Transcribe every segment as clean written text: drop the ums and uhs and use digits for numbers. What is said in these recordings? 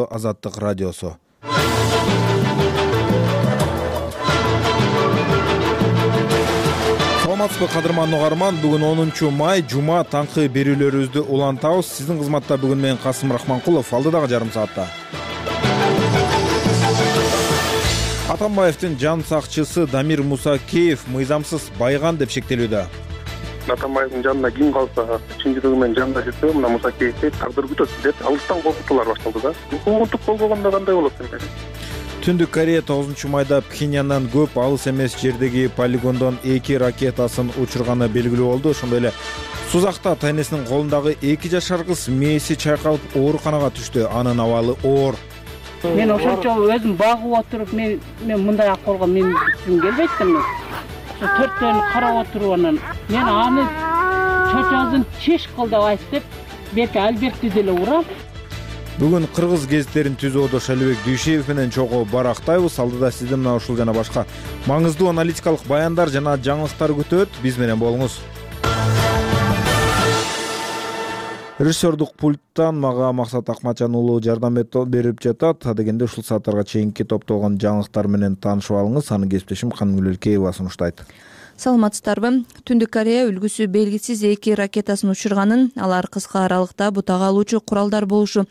Азаттык радиосу. Саламатсызбы кадырман угарман, бүгүн 10-май жума таңкы берүүлөрүбүздү улантабыз. Сиздин кызматта бүгүн мен Касым Рахманкулов, алдыдагы жарым саатта Атамбаевдин жан сакчысы Дамир Мусакеев мыйзамсыз байган деп шектелүүдө. Атамбаевдин жанына ким калса, чын жүрөгү менен жанына жүрсө, мына Мусакеевди тагдыр күтөт деп алыстан коркутуулар башталды да. Укугунтук болбогондо кандай болот экен? Түндүк Корея 9-майда Пхеньяндан көп алыс эмес жердеги полигондон 2 ракетасын учурганы белгилүү болду. Ошондой эле Сузакта тайнесинин колундагы 2 жашар кыз мээси чайкалып ооруканага түштү. Анын абалы оор. Мен ошончо өзүм багып отуруп, мен мындай акыбалга мен түшүм келбейт да мен. Ошо төрттөн карап отуруп анан мен аны чочозун чеш кыл деп айтып, берки Альбертти деле урам. Бүгүн кыргыз гезиттерин түзүүдө Шалибек Дүйшеев менен чогуу барактайбыз. Алдыда сизди мына ушул жана башка маңыздуу аналитикалык баяндар жана жаңылыктар күтөт. Биз менен болуңуз. Режиссердук пульттан мага Максат Акматжан уулу жардам берип жатат. Дегенде ушул сааттарга чейинки топтолгон жаңылыктар менен таанышып алыңыз. Аны кесиптешим Канымгүл Элкеева сунуштайт. Саламатсыздарбы? Түндүк Корея үлгүсү белгисиз 2 ракетасын учурганын, алар кыска аралыкта бутага алуучу куралдар болушу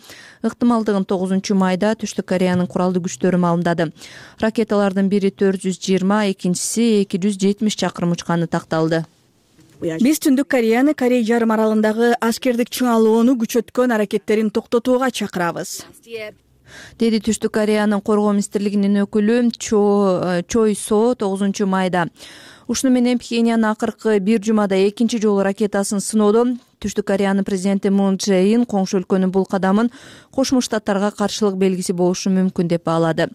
ыктымалдыгын 9-майда Түштүк Кореянын куралдуу күчтөрү маалымдады. Ракеталардын бири 420, экинчиси 270 чакырым учканы такталды. Биз Түндүк Кореяны Корей жарым аралындагы аскердик чыңалууну күчөткөн аракеттерин токтотууга чакырабыз, деди Түштүк Кореянын коргоо министрлигинин өкүлү Чой Со 9-майда. Ушуну менен Пхеньян акыркы бир жумада экинчи жолу ракетасын сыноодо. Түштүк Кореянын президенти Мун Чжэ Ин коңшу өлкөнүн бул кадамын Кошмо Штаттарга каршылык белгиси болушу мүмкүн деп баалады.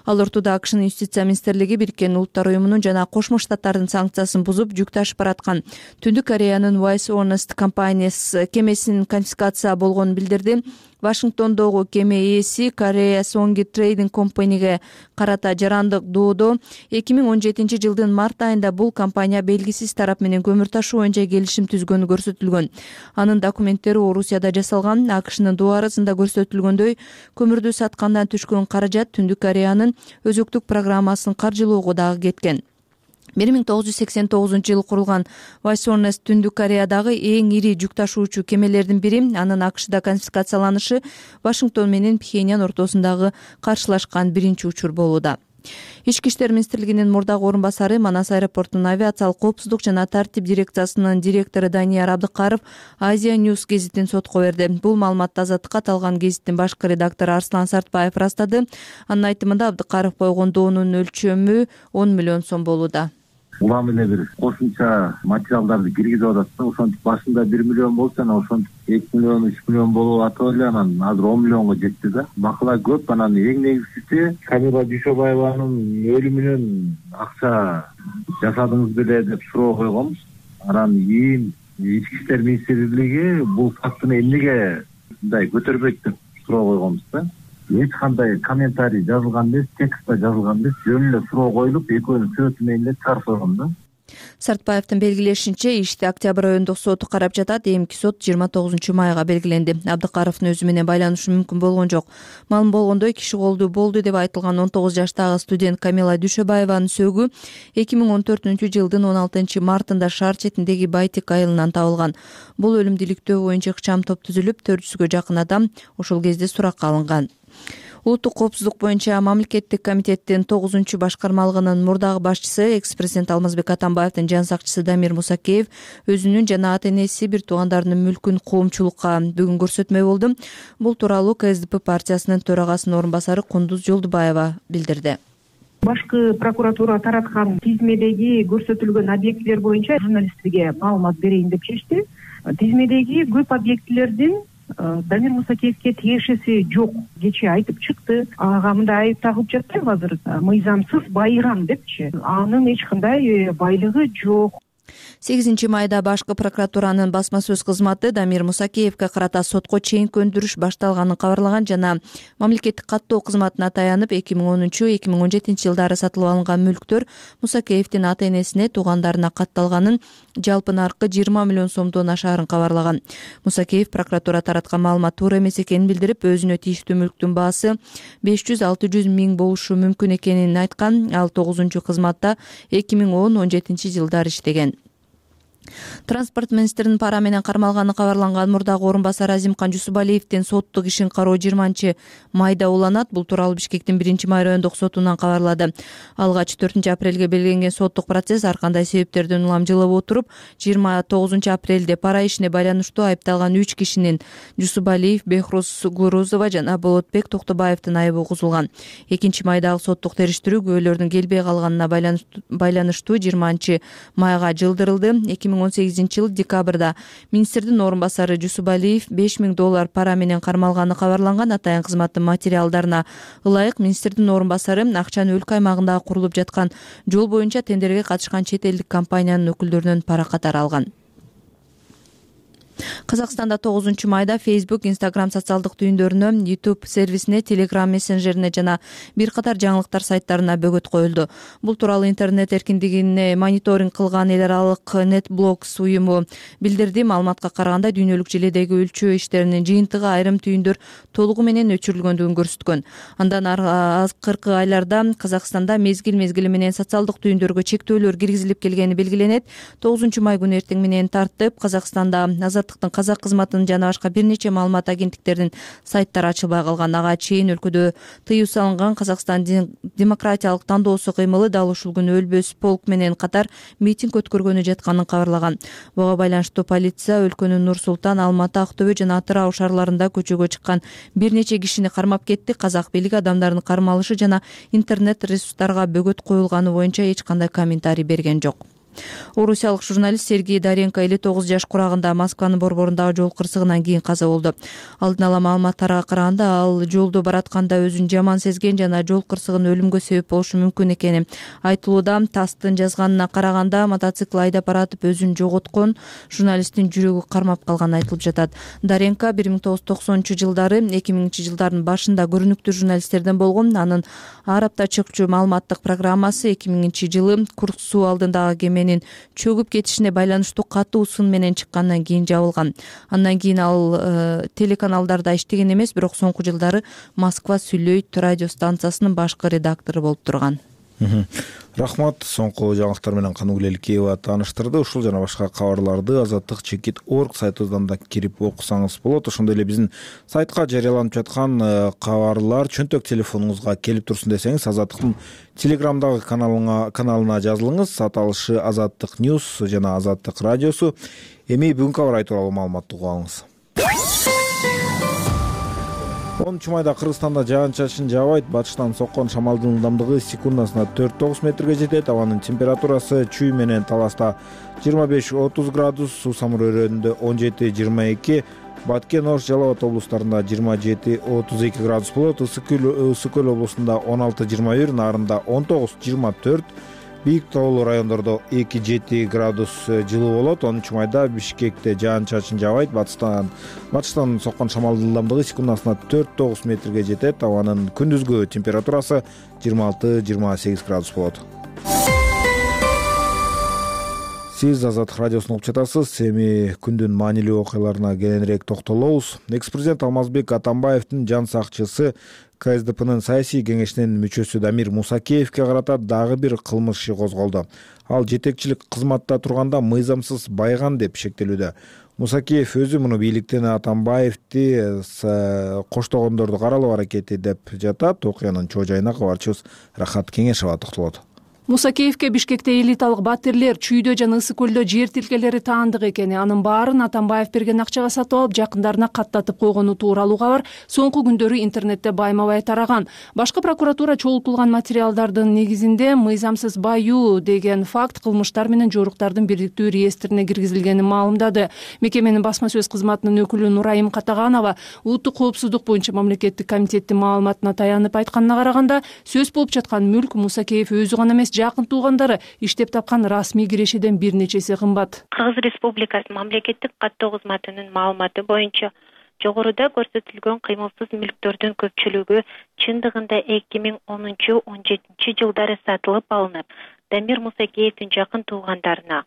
Ал ортодо АКШнын юстиция министрлиги Бириккен Улуттар уюмунун жана Кошмо Штаттардын санкциясын бузуп жүк ташып бараткан Түндүк Кореянын Wise Honest компаниясы кемесинин конфискация болгонун билдирди. Вашингтондогу кеме ээси Korea Songi Trading Company'ге карата жарандык доодо 2017 жылдын март айында бул компания белгисиз тарап менен көмүр ташуу боюнча келишим түзгөнү көрсөтүлгөн. Анын документтери Орусияда жасалган. АКШнын дуарысында көрсөтүлгөндөй, көмүрдү саткандан түшкөн каражат Түндүк Кореянын өзөктүк программасын каржылоого дагы кеткен. 1989 жылы курулган Wise Honest Түндүк Кореядагы эң ири жүк ташуучу кемелердин бири. Анын АКШда конфискацияланышы Вашингтон менен Пхеньян ортосундагы каршылашкан биринчи учур болууда. Ички иштер министрлигинин мурдагы орун басары, Манас аэропортунун авиациялык коопсуздук жана тартип дирекциясынын директору Данияр Абдыкаров Азия News гезитин сотко берди. Бул маалыматты Азаттыкка талган гезиттин башкы редактору Арслан Сартбаев ырастады. Анын айтымында Абдыкаров койгон доонун өлчөмү 10 миллион сом болууда. Улам эле бир кошумча материалдарды киргизип атат да, ошентип башында 1 миллион болчу, анан ошентип 2 миллион, 3 миллион болуп атып эле, анан азыр 10 миллионго жетти да. Макала көп. Анан эң негизгиси Камила Дүйшөбаеванын өлүмүнөн акча жасадыңыз беле деп суроо койгонбуз. Анан кийин Ички иштер министрлиги бул фактыны эмнеге мындай көтөрбөйт деп суроо койгонбуз да. Эч кандай комментарий жазылган эмес, текстте жазылган эмес, жөн эле суроо коюлуп, экөөнүн сөзү менен эле чыгарып койгон да. Сартбаевдин белгилешинче, ишти октябрь айында соту карап жатат. Эмки сот 29-майга белгиленди. Абдыкаровдун өзү менен байланышы мүмкүн болгон жок. Маалым болгондой, киши колдуу болду деп айтылган 19 жаштагы студент Камила Дүйшөбаеванын сөөгү 2014 жылдын 16 мартында шаар четиндеги Байтик айылынан табылган. Бул өлүм иликтөө боюнча ыкчам топ түзүлүп, 400гө жакын адам ошол кезде суракка алынган. Улуттук коопсуздук боюнча мамлекеттик комитеттин 9-башкармалыгынын мурдагы башчысы, экс-президент Алмазбек Атамбаевдин жан сакчысы Дамир Мусакеев өзүнүн жана ата-энеси, бир туугандарынын мүлкүн коомчулукка бүгүн көрсөтмөй болду. Бул тууралуу КСДП партиясынын төрагасынын орун басары Кундуз Жолдубаева билдирди. Башкы прокуратура тараткан тизмедеги көрсөтүлгөн объектилер боюнча журналисттерге маалымат берейин деп чечти. Тизмедеги көп объектилердин Дамир Мусакеевке тиешеси жок. Кечээ айтып чыкты. Ага мындай айып тагып жатпайбы азыр? Мыйзамсыз байыган депчи. Анын эч кандай байлыгы жок. 8 майда башкы прокуратуранын басма сөз кызматы Дамир Мусакеевге карата сотко чейинки өндүрүш башталганын кабарлаган жана мамлекеттик каттоо кызматына таянып 2013-2017 жылдары сатылып алынган мүлктөр Мусакеевдин ата-энесине, туугандарына катталганын, жалпы наркы 20 миллион сомдон ашаарын кабарлаган. Мусакеев прокуратура тараткан маалымат туура эмес экенин билдирип, өзүнө тийиштүү мүлктүн баасы 500-600 миң болушу мүмкүн экенин айткан. Ал 9-кызматта 2010-17 жылдары иштеген. Транспорт министринин пара менен кармалганы кабарланган мурдагы орун басары Азимкан Жусупалиевдин соттук ишин кароо 20 майда уланат. Бул тууралуу Бишкектин 1 райондук сотунан кабарлады. Алгач 4 апрелге белгиленген соттук процесс ар кандай себептерден улам жылып отуруп, 29 апрелде пара ишине байланыштуу айыпталган 3 кишинин Жусупалиев, Бехрус Гурузова жана Болотбек Токтобаевдин айыбы угузулган. 2 майдагы соттук териштирүү күбөлөрдүн келбей калганына байланыштуу 20 майга жылдырылды. 2018 жыл декабрда министрдин орун басары Жусупалиев $5,000 пара менен кармалганы кабарланган. Атайын кызматтын материалдарына ылайык министрдин орун басары акчаны өлкө аймагында курулуп жаткан жол боюнча тендерге катышкан чет элдик компаниянын өкүлдөрүнөн пара катары алган. Казакстанда 9 майда Facebook, Instagram социалдык түйүндөрүнө, YouTube сервисине, Telegram мессенджерине жана бир катар жаңылыктар сайттарына бөгөт коюлду. Бул тууралуу интернет эркиндигине мониторинг кылган эл аралык NetBlocks уюму билдирди. Маалыматка караганда, дүйнөлүк желедеги өлчөө иштеринин жыйынтыгы айрым түйүндөр толугу менен өчүрүлгөндүгүн көрсөткөн. Андан акыркы айларда Казакстанда мезгил менен социалдык түйүндөргө чектөөлөр киргизилип келгени белгиленет. 9 май күнү эртең менен тартып Казакстанда казак кызматынын жана башка бир нече маалымат агенттиктеринин сайттары ачылбай калган. Ага чейин өлкөдө тыюу салынган Казакстан демократиялык тандоосу кыймылы дал ушул күнү өлбөс полк менен катар митинг өткөргөнү жатканын кабарлаган. Буга байланыштуу полиция өлкөнүн Нур Султан, Алматы, Актөбө жана Атырау шаарларында көчөгө чыккан бир нече кишини кармап кетти. Казак бийлиги адамдардын кармалышы жана интернет ресурстарга бөгөт коюлганы боюнча эч кандай комментарий берген жок. Орусиялык журналист Сергей Даренко 59 жаш курагында Москванын борборундагы жол кырсыгынан кийин каза болду. Алдын ала маалыматтарга караганда, ал жолдо баратканда өзүн жаман сезген жана жол кырсыгынын өлүмгө себеп болушу мүмкүн экени айтылууда. ТАССтын жазганына караганда, мотоцикл айдап баратып өзүн жоготкон, журналисттин жүрөгү кармап калганы айтылып жатат. Даренко 1990 жылдары 2000 жылдардын башында көрүнүктүү журналисттерден болгон. Анын ар апта чыкчу маалыматтык программасы 2000 жылы Курск суу алдындагы кеме чөгүп кетишине байланыштуу катуу сын менен чыккандан кийин жабылган. Андан кийин ал телеканалдарда иштеген эмес, бирок соңку жылдары Москва Сүйлөйт радио станциясынын башкы редактору болуп турган. Рахмат. Соңку жаңылыктар менен Каныгүл Эликеева тааныштырды. Ушул жана башка кабарларды azattik.org сайтыбыздан да кирип окусаңыз болот. Ошондой эле биздин сайтка жарыяланып жаткан кабарлар чөнтөк телефонуңузга келип турсун десеңиз, Азаттыктын Телеграмдагы каналына жазылыңыз. Аталышы Азаттык Ньюс жана Азаттык радиосу. Эми бүгүнкү кабар тууралуу маалыматты угуп алыңыз. 10 майда Кыргызстанда жаан-чачын жаабайт. Батыштан соккон шамалдын ылдамдыгы секундасына 4-9 метрге жетет. Абанын температурасы Чүй менен Таласта 25-30 градус, Суусамыр өрөөнүндө 17-22, Баткен, Ош, Жалал Абад облустарында 27-32 градус болот. Ысык көл облусунда 16-21, Нарында 19-24, Бийик тоолуу райондордо 2-7 градус жылуу болот. 10 майда Бишкекте жаан-чачын жаабайт. Батыштан соккон шамалдын ылдамдыгы секундасына 4-9 метрге жетет. Абанын күндүзгү температурасы 26-28 градус болот. Сиз Азаттык радиосун угуп жатасыз. Эми күндүн маанилүү окуяларына кененирээк токтолобуз. Экс-президент Алмазбек Атамбаевдин жан сакчысы КСДПнын саясий кеңешинин мүчөсү Дамир Мусакеевге карата дагы бир кылмыш иши козголду. Ал жетекчилик кызматта турганда мыйзамсыз байган деп шектелүүдө. Мусакеев өзү муну бийликтен Атамбаевди коштогондорду каралоо аракети деп жатат. Окуянын чоо жайына кабарчыбыз Рахат Кеңешова токтолот. Мусакеевке Бишкекте элиталык батирлер, Чүйдө жана Ысык көлдө жер тилкелери таандык экени, анын баарын Атамбаев берген акчага сатып алып, жакындарына каттатып койгону тууралуу кабар соңку күндөрү интернетте байма-бай тараган. Башкы прокуратура чогултулган материалдардын негизинде мыйзамсыз баюу деген факт кылмыштар менен жоруктардын бирдиктүү реестрине киргизилгенин маалымдады. Мекеменин басма сөз кызматынын өкүлү Нурайым Катаганова улуттук коопсуздук боюнча мамлекеттик комитеттин маалыматына таянып айтканына караганда, сөз болуп жаткан мүлк Мусакеев өзү гана эмес, жакын туугандары иштеп тапкан расмий кирешеден бир нечеси кымбат. Кыргыз Республикасы мамлекеттик каттоо кызматынын маалыматы боюнча жогоруда көрсөтүлгөн кыймылсыз мүлктөрдүн көпчүлүгү чындыгында 2010-17 жылдары сатылып алынып, Дамир Мусакеевдин жакын туугандарына,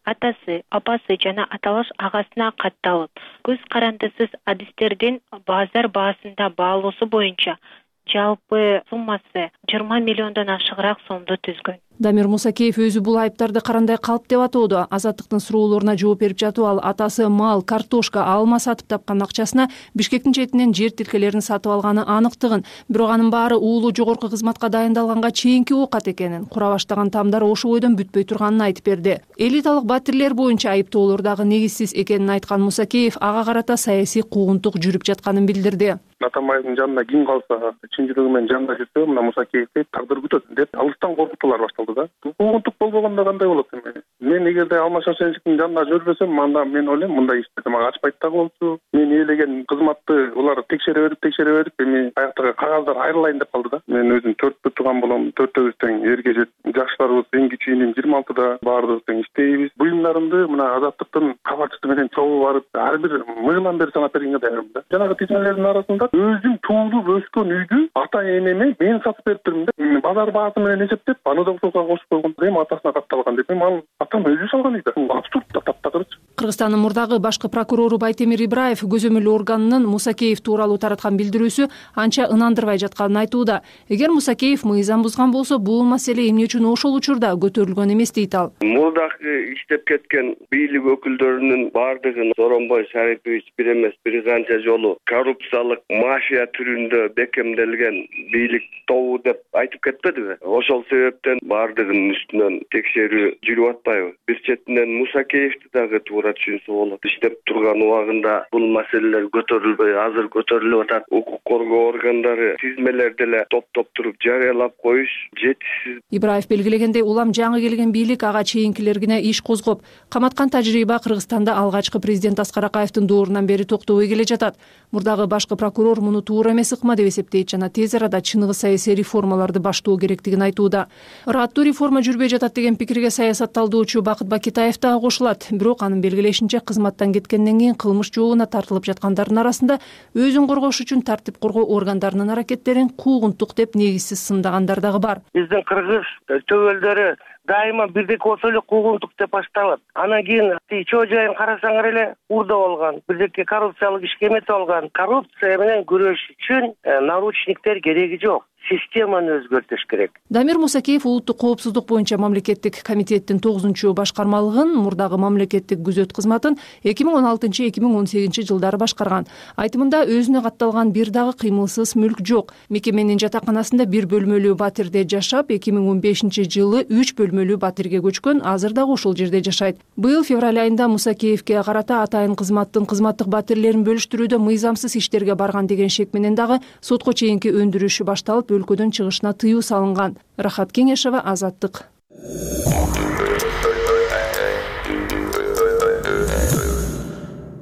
атасы, апасы жана аталаш агасына катталып, көз карандысыз адистердин базар баасында баалоосу боюнча жалпы суммасы 20 миллиондон ашыгыраак сомду түзгөн. Дамир Мусакеев өзү бул айыптарды карандай калп деп атоодо. Азаттыктын суроолоруна жооп берип жатып ал атасы мал, картошка, алма сатып тапкан акчасына Бишкектин четинен жер тилкелерин сатып алганы аныктыгын, бирок анын баары уулу жогорку кызматка дайындалганга чейинки оокат экенин, кура баштаган тамдар ошол бойдон бүтпөй турганын айтып берди. Элиталык батирлер боюнча айыптоолор дагы негизсиз экенин айткан Мусакеев ага карата саясий куугунтук жүрүп жатканын билдирди. Атамбаевдин жанына ким калса, чын жүрөгү менен жанында жүрсө, мына Мусакеевди тагдыр күтөт деп алыстан коркутуулар башталды да. Куугунтук болбогондо кандай болот эми? Мен эгерде Алмашашенчиктин жанында жүрбөсөм, анда мен ойлойм мындай ишти мага ачпайт да болчу. Мен ээлеген кызматты улар текшере берип, эми аяктагы кагаздар айрылайын деп калды да. Мен өзүм 4 тууган болом, 4-өбүз тең эрге жет. Жаштарыбыз эң кичүү иним 26-да баарыбыз тең иштейбиз. Буюмдарымды мына Азаттыктын кабарчысы менен чогуу барып, ар бир мыйылан бери санап бергенге даярмын да. Жанагы тизмелердин арасында өзүм туулуп өскөн үйдү ата энеме мен сатып берип турмун да. Базар баасы менен эсептеп, аны да ошого кошуп койгондо эми атасына катталган деп. Мен атам өзү салган үйдө. Абсурд да, таптакырчы. Кыргызстандын мурдагы башкы прокурору Байтемир Ибраев көзөмөл органынын Мусакеев тууралуу тараткан билдирүүсү анча ынандырбай жатканын айтууда. Эгер Мусакеев мыйзам бузган болсо, бул маселе эмне үчүн ошол учурда көтөрүлгөн эмес дейт ал. Мурдагы иштеп кеткен бийлик өкүлдөрүнүн бардыгын Сооронбай Шарипович бир эмес бир канча жолу коррупциялык мафия түрүндө бекемделген бийлик тобу деп айтып кетпедиби? Ошол себептен бардыгынын үстүнөн текшерүү жүрүп атпайбы? Бир четинен Мусакеевди дагы туура түшүнсө болот. Иштеп турган убагында бул маселелер көтөрүлбөй, азыр көтөрүлүп атат. Укук коргоо органдары тизмелерди эле топтоп туруп жарыялап коюш жетишсиз. Ибраев белгилегендей, улам жаңы келген бийлик ага чейинкилергине иш козгоп, каматкан тажрыйба Кыргызстанда алгачкы президент Аскар Акаевдин доорунан бери токтобой келе жатат. Мурдагы башкы прокурор муну туура эмес ыкма деп эсептейт жана тез арада чыныгы саясий реформаларды баштоо керектигин айтууда. Ыраттуу реформа жүрбөй жатат деген пикирге саясатталдоочу Бакыт Бакитаев дагы кошулат. Бирок анын белгилешинче, кызматтан кеткенден кийин кылмыш жообуна тартылып жаткандардын арасында өзүн коргош үчүн тартип коргоо органдарынын аракеттерин куугунтук деп негизсиз сындагандар дагы бар. Биздин кыргыз төбөлдөрү дайыма бирдек болсо эле куугунтук деп башталат. Анан кийин чоо жайын карасаңар эле урда болгон, бирдеке коррупциялык ишке эметип алган. Коррупция менен күрөш үчүн наручниктер кереги жок. Системаны өзгөртүш керек. Дамир Мусакеев улуттук коопсуздук боюнча мамлекеттик комитеттин 9-башкармалыгын, мурдагы мамлекеттик күзөт кызматын 2016-2018 жылдары башкарган. Айтымында өзүнө катталган бир дагы кыймылсыз мүлк жок. Мекеменин жатаканасында 1 бөлмөлүү батирде жашап, 2015 жылы 3 бөлмөлүү батирге көчкөн, азыр дагы ошол жерде жашайт. Быйыл февраль айында Мусакеевке карата атайын кызматтык батирлерин бөлүштүрүүдө мыйзамсыз иштерге барган деген шек менен дагы сотко чейинки өндүрүшү башталып, өлкөдөн чыгышына тыюу салынган. Рахат Кеңешова, Азаттык.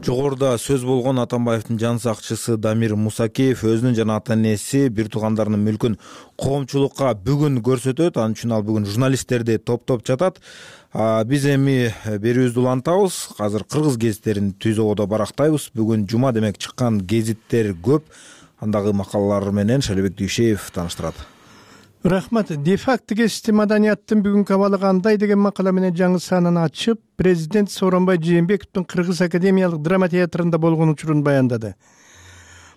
Жогоруда сөз болгон Атамбаевдин жан сакчысы Дамир Мусакеев өзүнүн жана ата энеси бир туугандарынын мүлкүн коомчулукка бүгүн көрсөтөт. Ал үчүн ал бүгүн журналисттерди топтоп жатат. Биз эми берүүбүздү улантабыз. Азыр кыргыз гезиттерин түзөгөдө барактайбыз. Бүгүн жума, демек чыккан гезиттер көп. Андагы макалалар менен Шалибек Дүйшеев тааныштырат. Рахмат. Де-факто гезити маданияттын бүгүнкү абалы кандай деген макала менен жаңы санын ачып, президент Сооронбай Жээнбековдун Кыргыз академиялык драма театрында болгон учурун баяндады.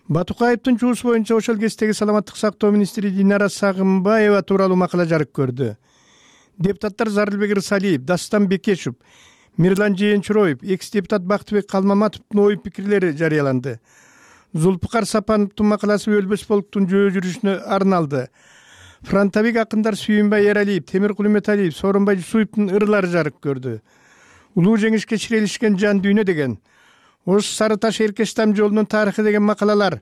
Батукаевдин жуусу боюнча ошол кездеги саламаттык сактоо министри Динара Сагынбаева тууралуу макала жарык көрдү. Депутаттар Зарылбек Рысалиев, Дастан Бекешев, Мирлан Жээнчуроев, экс-депутат Бактыбек Калмаматовдун ой пикирлери жарыяланды. Зулпукар Сапановдун макаласы өлбөс полктун жөө жүрүшүнө арналды. Фронтовик акындар Сүйүнбай Эралиев, Темиркул Үмөталиев, Сооронбай Жусуевдун ырлары жарык көрдү. Улуу жеңишке чирелишкен жан дүйнө деген, Ош Сары Таш Эркештам жолунун тарыхы деген макалалар,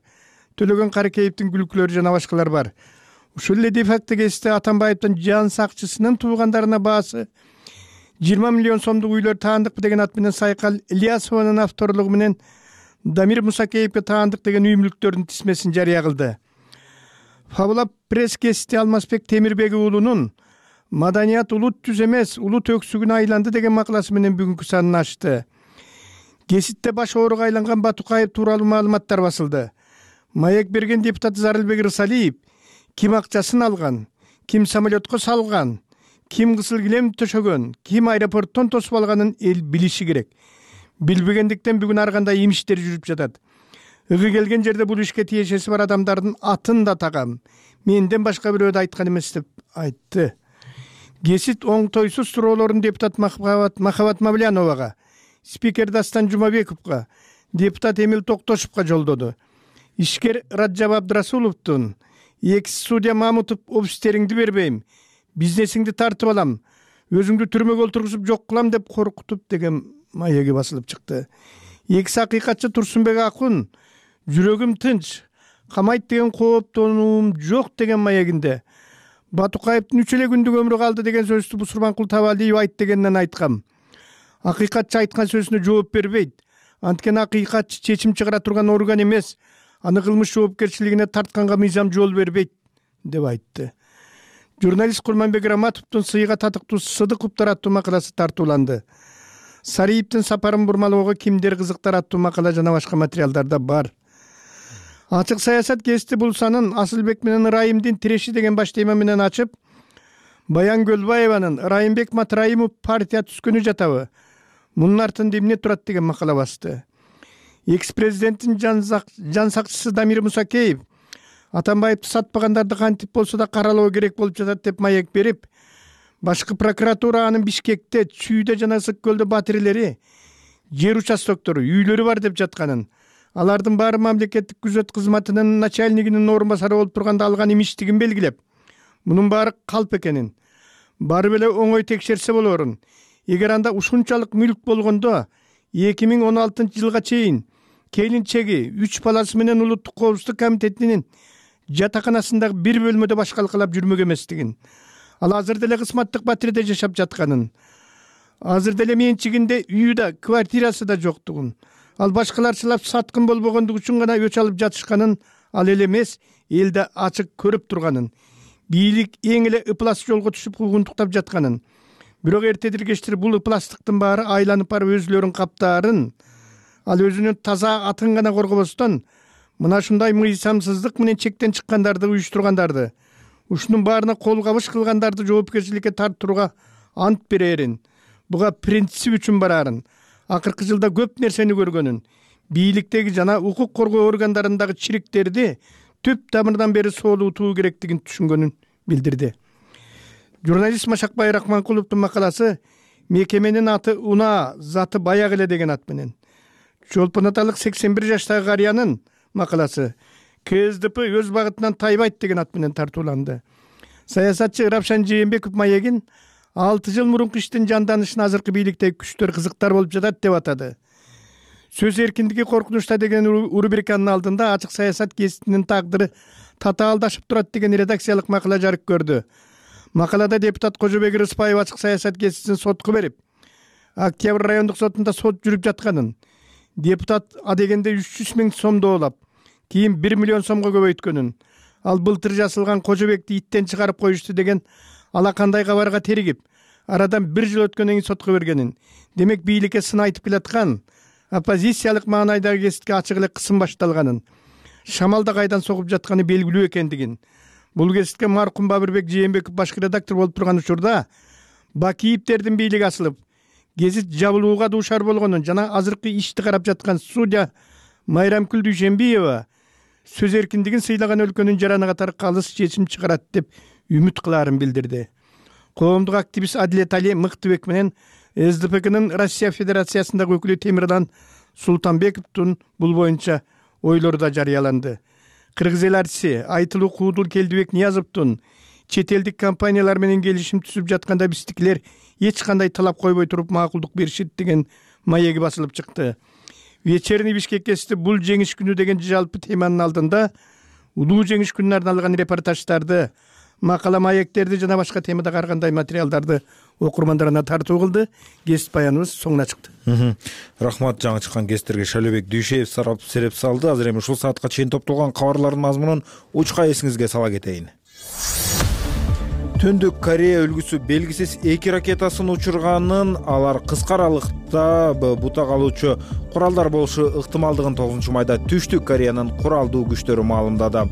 Төлөгөн Каракеевдин күлкүлөрү жана башкалар бар. Ушул эле де-факто гезити Атамбаевдин жан сакчысынын туугандарына баасы 20 миллион сомдук үйлөр таандыкпы деген ат менен Сайкал Ильясованын авторлугу менен Дамир Мусакеевге таандык деген үй мүлктөрдүн тизмесин жарыя кылды. Фабула пресс гезити Алмазбек Темирбек уулунун маданият улут түз эмес, улут өксүгүнө айланды деген макаласы менен бүгүнкү санын ачты. Кеситте баш ооруга айланган Батукаев тууралуу маалыматтар басылды. Маек берген депутат Зарылбек Рысалиев ким акчасын алган, ким самолетко салган, ким кызыл килем төшөгөн, ким аэропорттон тосуп алганын эл билиши керек. Билбегендиктен бүгүн ар кандай имиштер жүрүп жатат. Ыгы келген жерде бул ишке тиешеси бар адамдардын атын да тагам. Менден башка бирөөдө айткан эмес деп айтты. Кесит оңтойсуз суроолорун депутат Махабат Мавляновага, спикер Дастан Жумабековго, депутат Эмил Токтошевго жолдоду. Ишкер Раджаб Абдрасуловдун экс судья Мамутов обистериңди бербейм, бизнесиңди тартып алам, өзүңдү түрмөгө олтургузуп жок кылам деп коркутуп деген маеги басылып чыкты. Экс акыйкатчы Турсунбек Акун жүрөгүм тынч, камайт деген кооптонуум жок деген маегинде Батукаевдин 3 эле күндүк өмүрү калды деген сөздү Бусурманкул Табалиев айт дегенден айткам. Акыйкатчы айткан сөзүнө жооп бербейт. Анткени акыйкатчы чечим чыгара турган орган эмес, аны кылмыш жоопкерчилигине тартканга мыйзам жол бербейт деп айтты. Журналист Курманбек Раматовдун сыйга татыктуу Сыдыковдор аттуу макаласы тартууланды. Сариевдин сапарын бурмалоого кимдер кызыктар аттуу макала жана башка материалдарда бар. Ачык саясат гезити бул санын Асылбек менен Ырайымдын тиреши деген баш тема менен ачып, Баян Көлбаеванын Ырайымбек Матраимов партия түзгөнү жатабы? Мунун артында эмне турат деген макала басты. Экс-президенттин жан сакчысы Дамир Мусакеев Атамбаевди сатпагандарды кантип болсо да каралоо керек болуп жатат деп маек берип, башкы прокуратура анын Бишкекте, Чүйдө жана Ысык көлдө батирлери, жер участоктору, үйлөрү бар деп жатканын, алардын баары мамлекеттик күзөт кызматынын начальнигинин орун басары болуп турганда алган имиштигин белгилеп, мунун баары калп экенин, барып эле оңой текшерсе болорун. Эгер анда ушунчалык мүлк болгондо 2016 жылга чейин келинчеги 3 баласы менен Улуттук коопсуздук комитетинин жатаканасындагы бир бөлмөдө башкалкалап жүрмөк эместигин, ал азыр деле кысматтык батирде жашап жатканын, азыр деле менчигинде үйү да, квартирасы да жоктугун, ал башкаларчылап саткын болбогондугу үчүн гана өч алып жатышканын, ал эле эмес, элде ачык көрүп турганын, бийлик эң эле ыплас жолго түшүп куугунтуктап жатканын, бирок эртедир кечтир бул ыпластыктын баары айланып барып өзүлөрүн каптаарын, ал өзүнүн таза атын гана коргобостон мына ушундай мыйзамсыздык менен чектен чыккандарды уюштургандарды, ушунун баарына кол кабыш кылгандарды жоопкерчиликке тартууга ант берерин, буга принцип үчүн барарын, акыркы жылда көп нерсени көргөнүн, бийликтеги жана укук коргоо органдарындагы чириктерди түп тамырдан бери соолутуу керектигин түшүнгөнүн билдирди. Журналист Машакбай Рахманкуловдун макаласы мекеменин аты Уна, заты баяк эле деген ат менен. Чолпон аталык 81 жаштагы карыянын макаласы КСДП өз багытынан тайбайт деген ат менен тартууланды. Саясатчы Ырапшан Жээнбеков маегин 6 жыл мурунку иштин жанданышын азыркы бийликтеги күчтөр кызыктар болуп жатат деп атады. Сөз эркиндиги коркунучта деген рубриканын алдында ачык саясат гезитинин тагдыры татаалдашып турат деген редакциялык макала жарык көрдү. Макалада депутат Кожобек Рыспаев ачык саясат гезитин сотко берип, Октябрь райондук сотунда сот жүрүп жатканын, депутат адегенде 300 000 сом доолап, кийин 1 миллион сомго көбөйткөнүн, ал былтыр жасылган Кожобекти иттен чыгарып коюшту деген алакандай кабарга теригип, арадан 1 жыл өткөндөн кийин сотко бергенин, демек бийликке сын айтып келаткан, оппозициялык маанайдагы гезитке ачык эле кысым башталганын, шамалда кайдан согуп жатканы белгилүү экендигин, бул гезитке маркум Бабырбек Жээнбеков башкы редактор болуп турган учурда Бакиевдердин бийлиги асылып, гезит жабылууга дуушар болгонун жана азыркы ишти карап жаткан судья Майрамкүл Дүйшенбиева сөз эркиндигин сыйлаган өлкөнүн жараны катары калыс чечим чыгарат деп үмүт кылаарын билдирди. Коомдук активист Адилет Али Мыктыбек менен СДПКнын Россия Федерациясындагы өкүлү Темирлан Султанбековдун бул боюнча ойлору да жарыяланды. Кыргыз эл артиси Айтылуу Куудул Келдибек Ниязовдун чет элдик компаниялар менен келишим түзүп жатканда биздикилер эч кандай талап койбой туруп макулдук беришет деген маеги басылып чыкты. Вечерний Бишкек гезити бул жеңиш күнү деген жалпы теманын алдында улуу жеңиш күнүнө арналган репортаждарды, макала маектерди жана башка темадагы ар кандай материалдарды окурмандарына тартуу кылды. Гезит баяныбыз соңуна чыкты. Рахмат, жаңы чыккан гезиттерге Шалөбек Дүйшеев сарап сереп салды. Азыр эми ушул саатка чейин топтолгон кабарлардын мазмунун учка эсиңизге сала кетейин. Түндүк Корея өлкөсү белгисиз 2 ракетасын учурганын, алар кыска аралыкта бута калуучу куралдар болушу ыктымалдыгын 9 майда Түштүк Кореянын куралдуу күчтөрү маалымдады.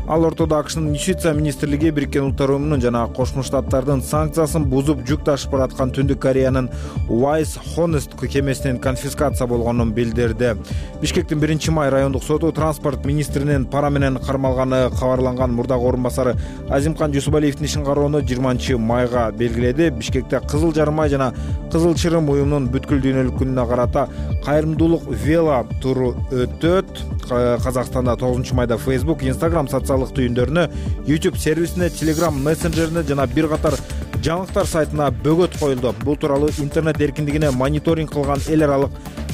Ал ортодо АКШнын Юстиция министрлиги Бириккен Улуттар уюмунун жана Кошмо Штаттардын санкциясын бузуп жүк ташып бараткан Түндүк Кореянын Wise Honest кемесинин конфискация болгонун билдирди. Бишкектин 1-май райондук соту транспорт министринин пара менен кармалганы кабарланган мурдагы орун басары Азимкан Жусупалиевдин ишин кароону 20-майга белгиледи. Бишкекте Кызыл Жарым ай жана Кызыл Чырым уюмунун бүткүл дүйнөлүк күнүнө карата кайрымдуулук вело туру өтөт. Казакстанда 9 майда Facebook, Instagram социалдык түйүндөрүнө, YouTube сервисине, Telegram мессенджерине жана бир катар жаңылыктар сайтына бөгөт коюлду. Бул тууралуу интернет эркиндигине мониторинг кылган эл аралык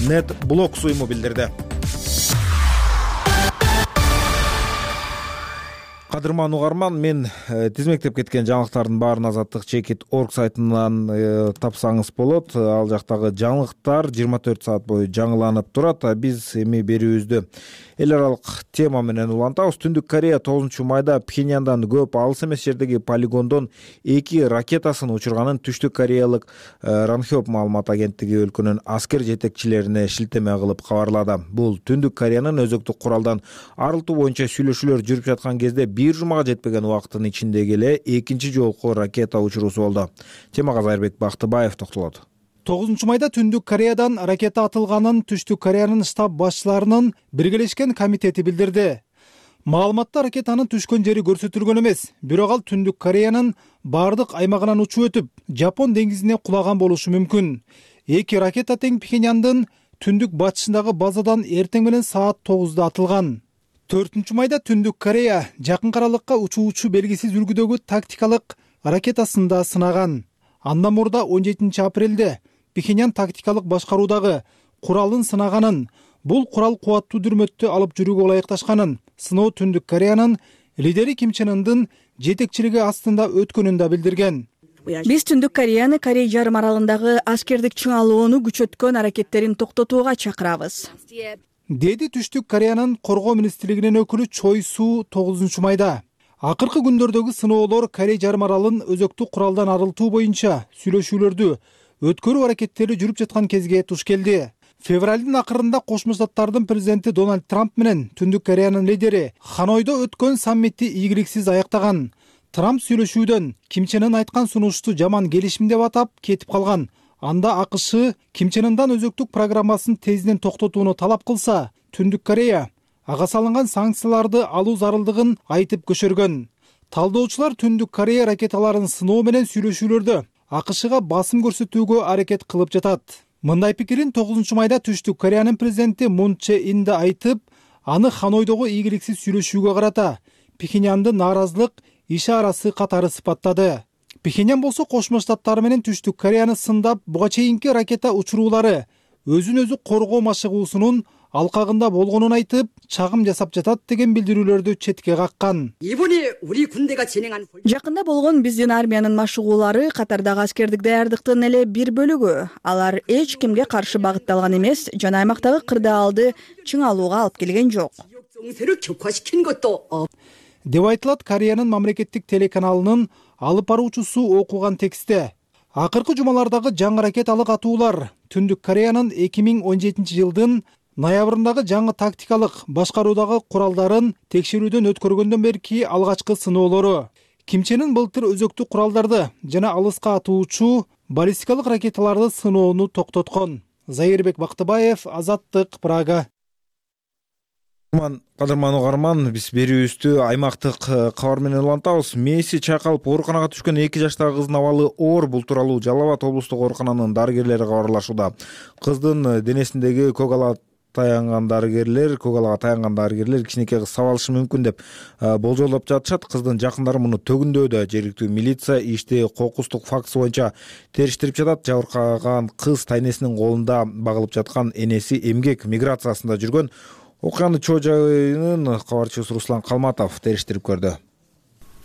NetBlocks уюму билдирди. Кадырман угарман, мен тизмектеп кеткен жаңылыктардын баарын Азаттык Чекит.org сайтынан тапсаңыз болот. Ал жактагы жаңылыктар 24 саат бою жаңыланып турат. Биз эми берүүбүздү эл аралык тема менен улантабыз. Түндүк Корея 9 майда Пхеньяндан көп алыс эмес жердеги полигондон 2 ракетасын учурганын Түштүк Кореялык Ранхёп маалымат агенттиги өлкөнүн аскер жетекчилерине шилтеме кылып кабарлады. Бул Түндүк Кореянын өзөктүк куралдан арылтуу боюнча сүйлөшүүлөр жүрүп жаткан кезде бир жумага жетпеген убакыттын ичиндеги эле экинчи жолку ракета учуруусу болду. Темага Зайырбек Бактыбаев токтолот. 9 майда Түндүк Кореядан ракета атылганын Түштүк Кореянын штаб башчыларынын биргелешкен комитети билдирди. Маалыматта ракетанын түшкөн жери көрсөтүлгөн эмес, бирок ал Түндүк Кореянын бардык аймагынан учуп өтүп, Жапон деңизине кулаган болушу мүмкүн. 2 ракета тең Пхеньяндын түндүк батышындагы базадан эртең менен саат 9-да атылган. 4 майда Түндүк Корея жакын аралыкка учуучу белгисиз үлгүдөгү тактикалык ракетасын да сынаган. Андан мурда 17 апрелде Пхеньян тактикалык башкаруудагы куралын сынаганын, бул курал кубаттуу дүрмөттү алып жүрүүгө ылайыкташканын, сыноо Түндүк Кореянын лидери Ким Чен Ындын жетекчилиги астында өткөнүн да билдирген. Биз Түндүк Кореяны Корей жарым аралындагы аскердик чыңалууну күчөткөн аракеттерин токтотууга чакырабыз, деди Түштүк Кореянын коргоо министрлигинин өкүлү Чой Су 9 майда. Акыркы күндөрдөгү сыноолор Корей жарым аралын өзөктүк куралдан арылтуу боюнча сүйлөшүүлөрдү өткөрүү аракеттери жүрүп жаткан кезге туш келди. Февралдын акырында Кошмо Штаттардын президенти Дональд Трамп менен Түндүк Кореянын лидери Ханойдо өткөн саммитти ийгиликсиз аяктаган. Трамп сүйлөшүүдөн Ким Чен Ын айткан сунушту жаман келишим деп атап кетип калган. Анда АКШ Ким Чен Ындан өзөктүк программасын тезден токтотууну талап кылса, Түндүк Корея ага салынган санкцияларды алуу зарылдыгын айтып көчөргөн. Талдоочулар Түндүк Корея ракеталарын сыноо менен сүйлөшүүлөрдө АКШга басым көрсөтүүгө аракет кылып жатат. Мындай пикирин 9 майда Түштүк Кореянын президенти Мун Чже Ин да айтып, аны Ханойдогу ийгиликсиз сүйлөшүүгө карата Пхеньянды нааразылык ишарасы катары сыпаттады. Пхеньян болсо Кошмо Штаттары менен Түштүк Кореяны сындап, буга чейинки ракета учуруулары өзүн өзү коргоо машыгуусунун алкагында болгонун айтып, чагым жасап жатат деген билдирүүлөрдү четке каккан. Жакында болгон биздин армиянын машыгуулары катардагы аскердик даярдыктын эле бир бөлүгү. Алар эч кимге каршы багытталган эмес жана аймактагы кырдаалды чыңалууга алып келген жок, деп айтылат Кореянын мамлекеттик телеканалынын алып баруучусу окуган текстте. Акыркы жумалардагы жаңы ракеталык атуулар Түндүк Кореянын 2017 жылдын ноябрындагы жаңы тактикалык башкаруудагы куралдарын текшерүүдөн өткөргөндөн берки алгачкы сыноолору. Ким Чен Ын былтыр өзөктүк куралдарды жана алыска атуучу баллистикалык ракеталарды сыноону токтоткон. Зайырбек Бактыбаев, Азаттык, Прага. Кадырман угарман, биз берүүбүздү аймактык кабар менен улантабыз. Мээси чайкалып ооруканага түшкөн 2 жаштагы кыздын абалы оор. Бул тууралуу Жалал Абад облустук оорукананын дарыгерлери кабарлашууда. Кыздын денесиндеги көгалага таянган дарыгерлер кичинекей кыз сабалышы мүмкүн деп болжолдоп жатышат. Кыздын жакындары муну төгүндөдө. Жергиликтүү милиция ишти кокустук фактысы боюнча териштирип жатат. Жабыркаган кыз тайнесинин колунда багылып жаткан, энеси эмгек миграциясында жүргөн. Окуянын чоо жайынын кабарчысы Руслан Калматов териштирип көрдү.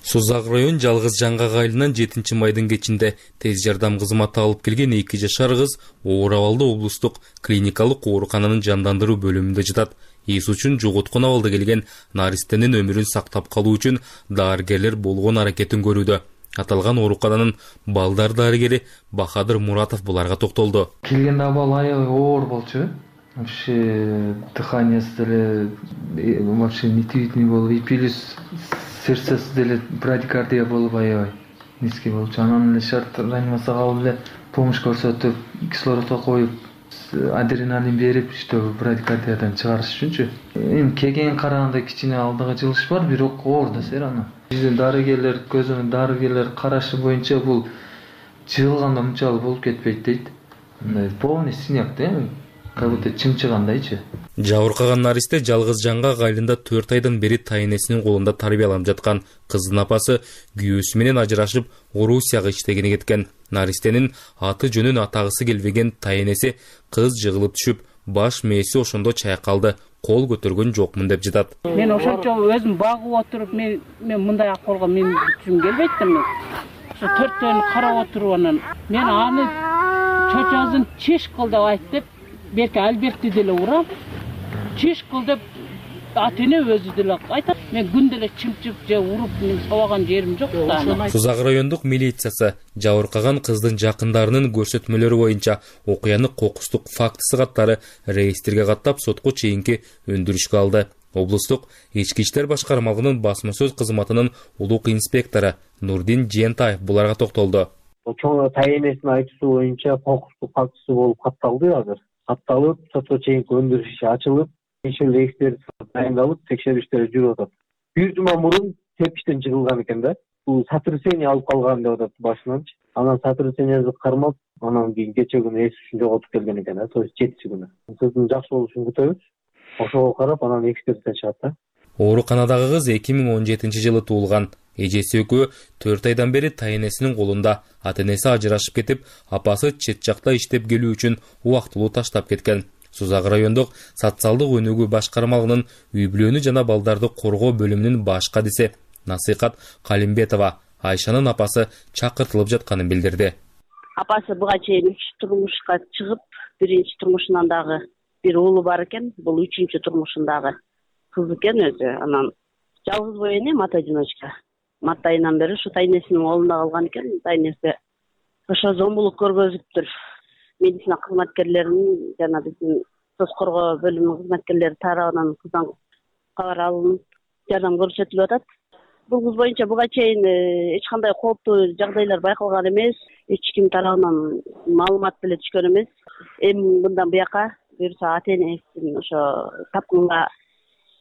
Созак район жалгыз жаңгак айылынан 7 майдын кечинде тез жардам кызматы алып келген 2 жашар кыз оор абалда облустук клиникалык оорукананын жандандыруу бөлүмүндө жатат. Эс үчүн жоготкон абалда келген наристенин өмүрүн сактап калуу үчүн дарыгерлер болгон аракетин көрүүдө. Аталган оорукананын балдар дарыгери Бахадыр Муратов буларга токтолду. Келгенде абал аябай оор болчу. Вообще дыханиясы деле вообще нетибитный болуп, и плюс сердцеси деле брадикардия болуп аябай низкий болчу. Анан эле шарт реанимацияга алып эле помощь көрсөтүп, кислородко коюп, адреналин берип, что брадикардиядан чыгарыш үчүнчү. Эми кегенге караганда кичине алдыга жылыш бар, бирок оор да сер аны. Биздин дарыгерлер, көзөмөл дарыгерлер карашы боюнча бул жыгылганда мынчалык болуп кетпейт дейт. Полный синяк да, как будто чымчыгандайчы. Жабыркаган наристе жалгыз жаңгак айылында 4 айдан бери тайнесинин колунда тарбияланып жаткан кыздын апасы күйөөсү менен ажырашып, Орусияга иштегени кеткен. Наристенин аты жөнүн атагысы келбеген тайнеси кыз жыгылып түшүп, баш мээси ошондо чайкалды, кол көтөргөн жокмун деп жатат. Мен ошончо өзүм багып отуруп, мен мындай акыбалга мен түшүм келбейт да мен. Ошо 4-төн карап отуруп анан мен аны чочозун чиш кыл деп айтып, берки албекти деле урам. Чиш кыл деп ата-эне өзү деле айтат. Мен күндө эле чымчып же уруп, мен сабаган жерим жок да. Сузак райондук милициясы жабыркаган кыздын жакындарынын көрсөтмөлөрү боюнча окуяны кокустук фактысы каттары реестрге каттап сотко чейинки өндүрүшкө алды. Облустук ички иштер башкармалыгынын басма сөз кызматынын улук инспектору Нурдин Жентаев буларга токтолду. Чоң тайенесинин айтуусу боюнча кокустук фактысы болуп катталды азыр. Катталып, сотко чейинки өндүрүш иши ачылып, ишил экспертиза дайындалып, текшерүү иштери жүрүп атат. Бир жума мурун тепиштен жыгылган экен да. Бул сотрясение алып калган деп атат башынан. Анан сотрясениеси кармап, анан кийин кече күнү эс үчүн жоготуп келген экен да, то есть 7 күнү. Кыздын жакшы болушун күтөбүз. Ошого карап анан экспертиза чыгат да. Ооруканадагы кыз 2017-жылы туулган. Эжеси экөө 4 айдан бери тайенесинин колунда. Ата-энеси ажырашып кетип, апасы чет жакта иштеп келүү үчүн убактылуу таштап кеткен. Сузак райондук социалдык өнүгүү башкармалыгынын үй-бүлөнү жана балдарды коргоо бөлүмүнүн баш кадиси Насыйкат Калимбетова Айшанын апасы чакыртылып жатканын билдирди. Апасы буга чейин 3 турмушка чыгып, биринчи турмушунан дагы бир уулу бар экен, бул 3-чү турмушундагы кыз экен өзү. Анан жалгыз бой эне мата-одиночка. Март айынан бери ушу тайнесинин колунда калган экен. Тайнеси ошо зомбулук көргөзүптүр. Медицина кызматкерлеринин жана биздин соц коргоо бөлүмүнүн кызматкерлери тарабынан кыздан кабар алынып, жардам көрсөтүлүп атат. Бул кыз боюнча буга чейин эч кандай кооптуу жагдайлар байкалган эмес, эч ким тарабынан маалымат деле түшкөн эмес. Эми мындан буяка буюрса ата-энесин ошо тапкынга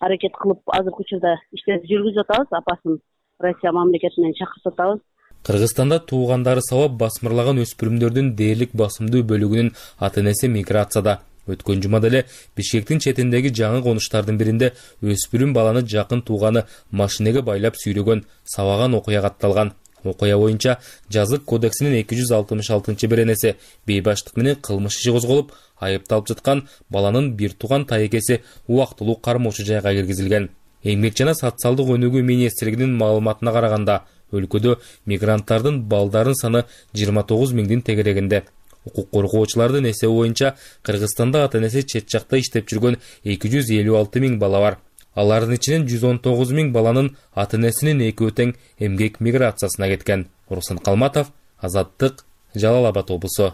аракет кылып, азыркы учурда иштерди жүргүзүп атабыз. Апасын Россия мамлекетинен чакыртып атабыз. Кыргызстанда туугандары сабап басмырлаган өспүрүмдөрдүн дээрлик басымдуу бөлүгүнүн ата-энеси миграцияда. Өткөн жумада эле Бишкектин четиндеги жаңы конуштардын биринде өспүрүм баланы жакын тууганы машинеге байлап сүйрөгөн, сабаган окуя катталган. Окуя боюнча Жазык кодексинин 266-беренеси бейбаштык менен кылмыш иши козголуп, айыпталып жаткан баланын бир тууган тайекеси убактылуу кармоочу жайга киргизилген. Эмгек жана социалдык өнүгүү министрлигинин маалыматына караганда, өлкөдө мигранттардын балдарын саны 29 миңдин тегерегинде. Укук коргоочулардын эсеби боюнча Кыргызстанда ата-энеси чет жакта иштеп жүргөн 256 миң бала бар. Алардын ичинен 119 миң баланын ата-энесинин экөө тең эмгек миграциясына кеткен. Руслан Калматов, Азаттык, Жалал Абад облусу.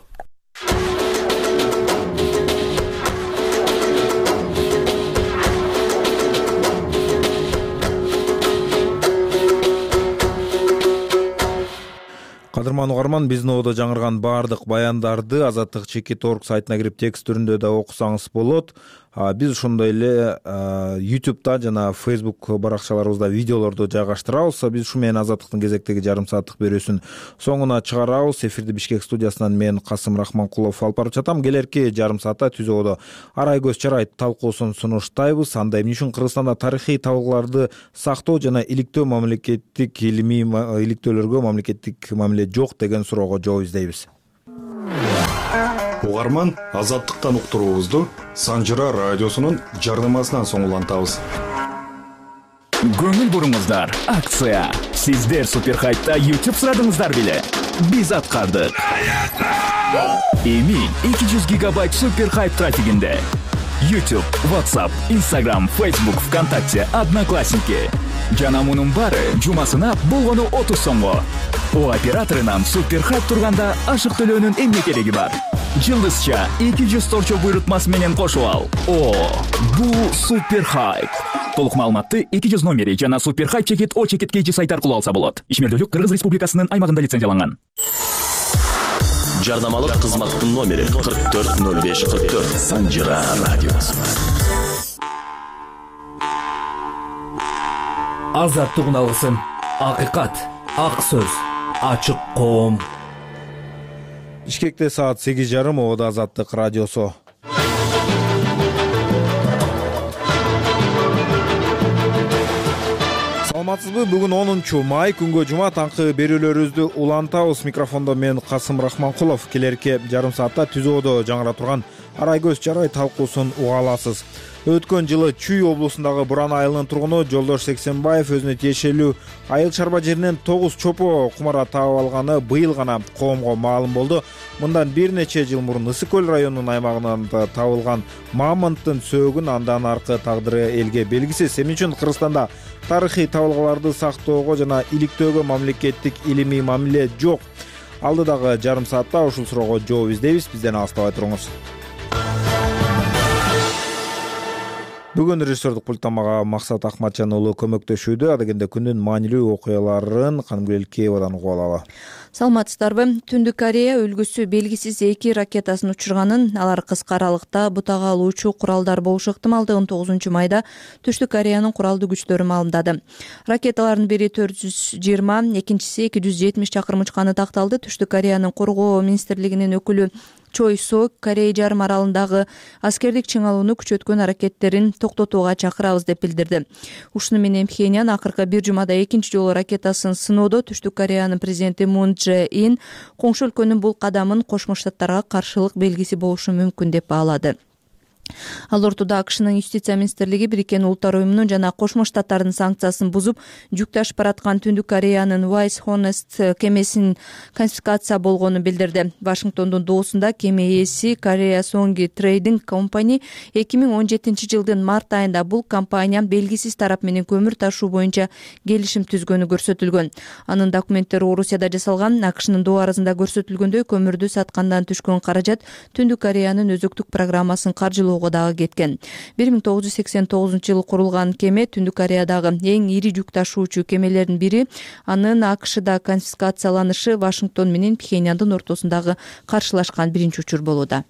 Кадырман угарман, биздин ободо жаңырган баардык баяндарды Азаттык.org сайтына кирип текст түрүндө да окусаңыз болот. Биз ошондой эле YouTube'да жана Facebook баракчаларыбызда видеолорду жайгаштырабыз. Биз ушу менен Азаттыктын кезектеги жарым сааттык берүүсүн соңуна чыгарабыз. Эфирди Бишкек студиясынан мен Касым Рахманкулов алып барып жатам. Келерки жарым саатта түз ободо арай көз чарай талкуусун сунуштайбыз. Анда эмне үчүн Кыргызстанда тарыхый табылгаларды сактоо жана иликтөө мамлекеттик илимий иликтөөлөргө мамлекеттик мамиле жок деген суроого жооп издейбиз. Угарман, Азаттыктан уктуруубузду Санжыра радиосунун жардамасынан соң улантабыз. Көңүл буруңуздар, акция. Сиздер Суперхайтта YouTube сурадыңыздар беле? Биз аткардык. Эми 200 гигабайт Суперхайт трафигинде. YouTube, WhatsApp, Instagram, Facebook, ВКонтакте, Одноклассники. Жана мунун баары жумасына болгону 30 сомго. О операторунан супер хайп турганда ашык төлөөнүн эмне кереги бар? Жылдызча 200 торчо буйрутмасы менен кошуп ал. О, бул супер хайп. Толук маалыматты 200 номери жана супер хайп чекит О чекит KG сайт аркылуу алса болот. Ишмердүүлүк Кыргыз Республикасынын аймагында лицензияланган. Жарнамалык кызматтын номери 440544. Санжыра радиосу. Азаттыгын алгысым. Акыйкат, ак сөз, ачык коом. Бишкекте саат 8:30 Ода Азаттык радиосу. Саламатсызбы? Бүгүн 10 май күнгө жума таңкы берүүлөрүбүздү улантабыз. Микрофондо мен Касым Рахманкулов. Келерки жарым саатта Түзөөдө жаңыра турган Арай көз чарай талкуусун уга аласыз. Өткөн жылы Чүй облусундагы Буран айылынын тургуну Жолдош Сексенбаев өзүнө тиешелүү айыл чарба жеринен 9 чопо кумара таап алганы быйыл гана коомго маалым болду. Мындан бир нече жыл мурун Ысык көл районунун аймагында табылган мамонттун сөөгүн андан аркы тагдыры элге белгисиз. Эмне үчүн Кыргызстанда тарыхый табылгаларды сактоого жана иликтөөгө мамлекеттик илимий мамиле жок? Алдыдагы жарым саатта ушул суроого жооп издейбиз. Бизден алыстабай туруңуз. Бүгүн режиссердук пульттан мага Максат Ахматжан уулу көмөктөшүүдө. Адегенде күндүн маанилүү окуяларын Канымгүл Элкеевадан угуп алалы. Саламатсыздарбы? Түндүк Корея өлкөсү белгисиз 2 ракетасын учурганын, алар кыска аралыкта бутага алуучу куралдар болушу ыктымалдыгын 9 майда Түштүк Кореянын куралдуу күчтөрү маалымдады. Ракеталардын бири 420, экинчиси 270 чакырым учканы такталды. Түштүк Кореянын коргоо министрлигинин өкүлү Чой Сок Корей жарым аралындагы аскердик чыңалууну күчөткөн аракеттерин токтотууга чакырабыз деп билдирди. Ушуну менен Пхеньян акыркы бир жумада экинчи жолу ракетасын сыноодо Түштүк Кореянын президенти Мун Чжэ Ин коңшу өлкөнүн бул кадамын Кошмо Штаттарга каршылык белгиси болушу мүмкүн деп баалады. Ал ортодо АКШнын юстиция министрлиги Бириккен Улуттар уюмунун жана Кошмо Штаттардын санкциясын бузуп, жүк ташып бараткан Түндүк Кореянын Wise Honest кемесин конфискация болгонун билдирди. Вашингтондун доосунда кеме ээси Korea Songi Trading Company 2017 жылдын март айында бул компания белгисиз тарап менен көмүр ташуу боюнча келишим түзгөнү көрсөтүлгөн. Анын документтери Орусияда жасалган. АКШнын доо арызында көрсөтүлгөндөй көмүрдү саткандан түшкөн каражат Түндүк Кореянын өзөктүк программасын каржылоо дагы кеткен. 1989 жылы курулган кеме Түндүк Кореядагы эң ири жүк ташуучу кемелердин бири. Анын АКШда конфискацияланышы Вашингтон менен Пхеньяндын ортосундагы каршылашкан биринчи учур болууда.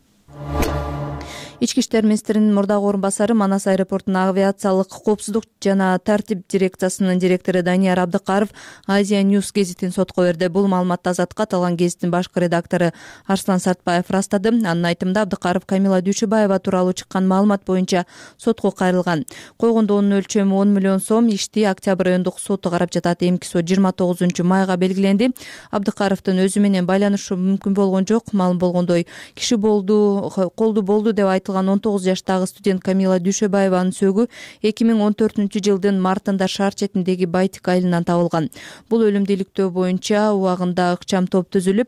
Ички иштер министринин мурдагы орун басары Манас аэропортунун авиациялык коопсуздук жана тартип дирекциясынын директору Данияр Абдыкаров Азия News гезитин сотко берди. Бул маалыматты Азатка аталган гезиттин башкы редактору Арслан Сартбаев ырастады. Анын айтымында Абдыкаров Камила Дүйшөбаева тууралуу чыккан маалымат боюнча сотко кайрылган. Койгондоонун өлчөмү 10 миллион сом. Ишти Октябрь райондук соту карап жатат. Эмки сот 29 майга белгиленди. Абдыкаровдун өзү менен байланышы мүмкүн болгон жок. Маалым болгондой, киши колду болду деп 19 жаштагы студент Камила Дүйшөбаеванын сөөгү 2014 жылдын мартында шаар четиндеги Байтик айылынан табылган. Бул өлүмдү иликтөө боюнча убагында ыкчам топ түзүлүп,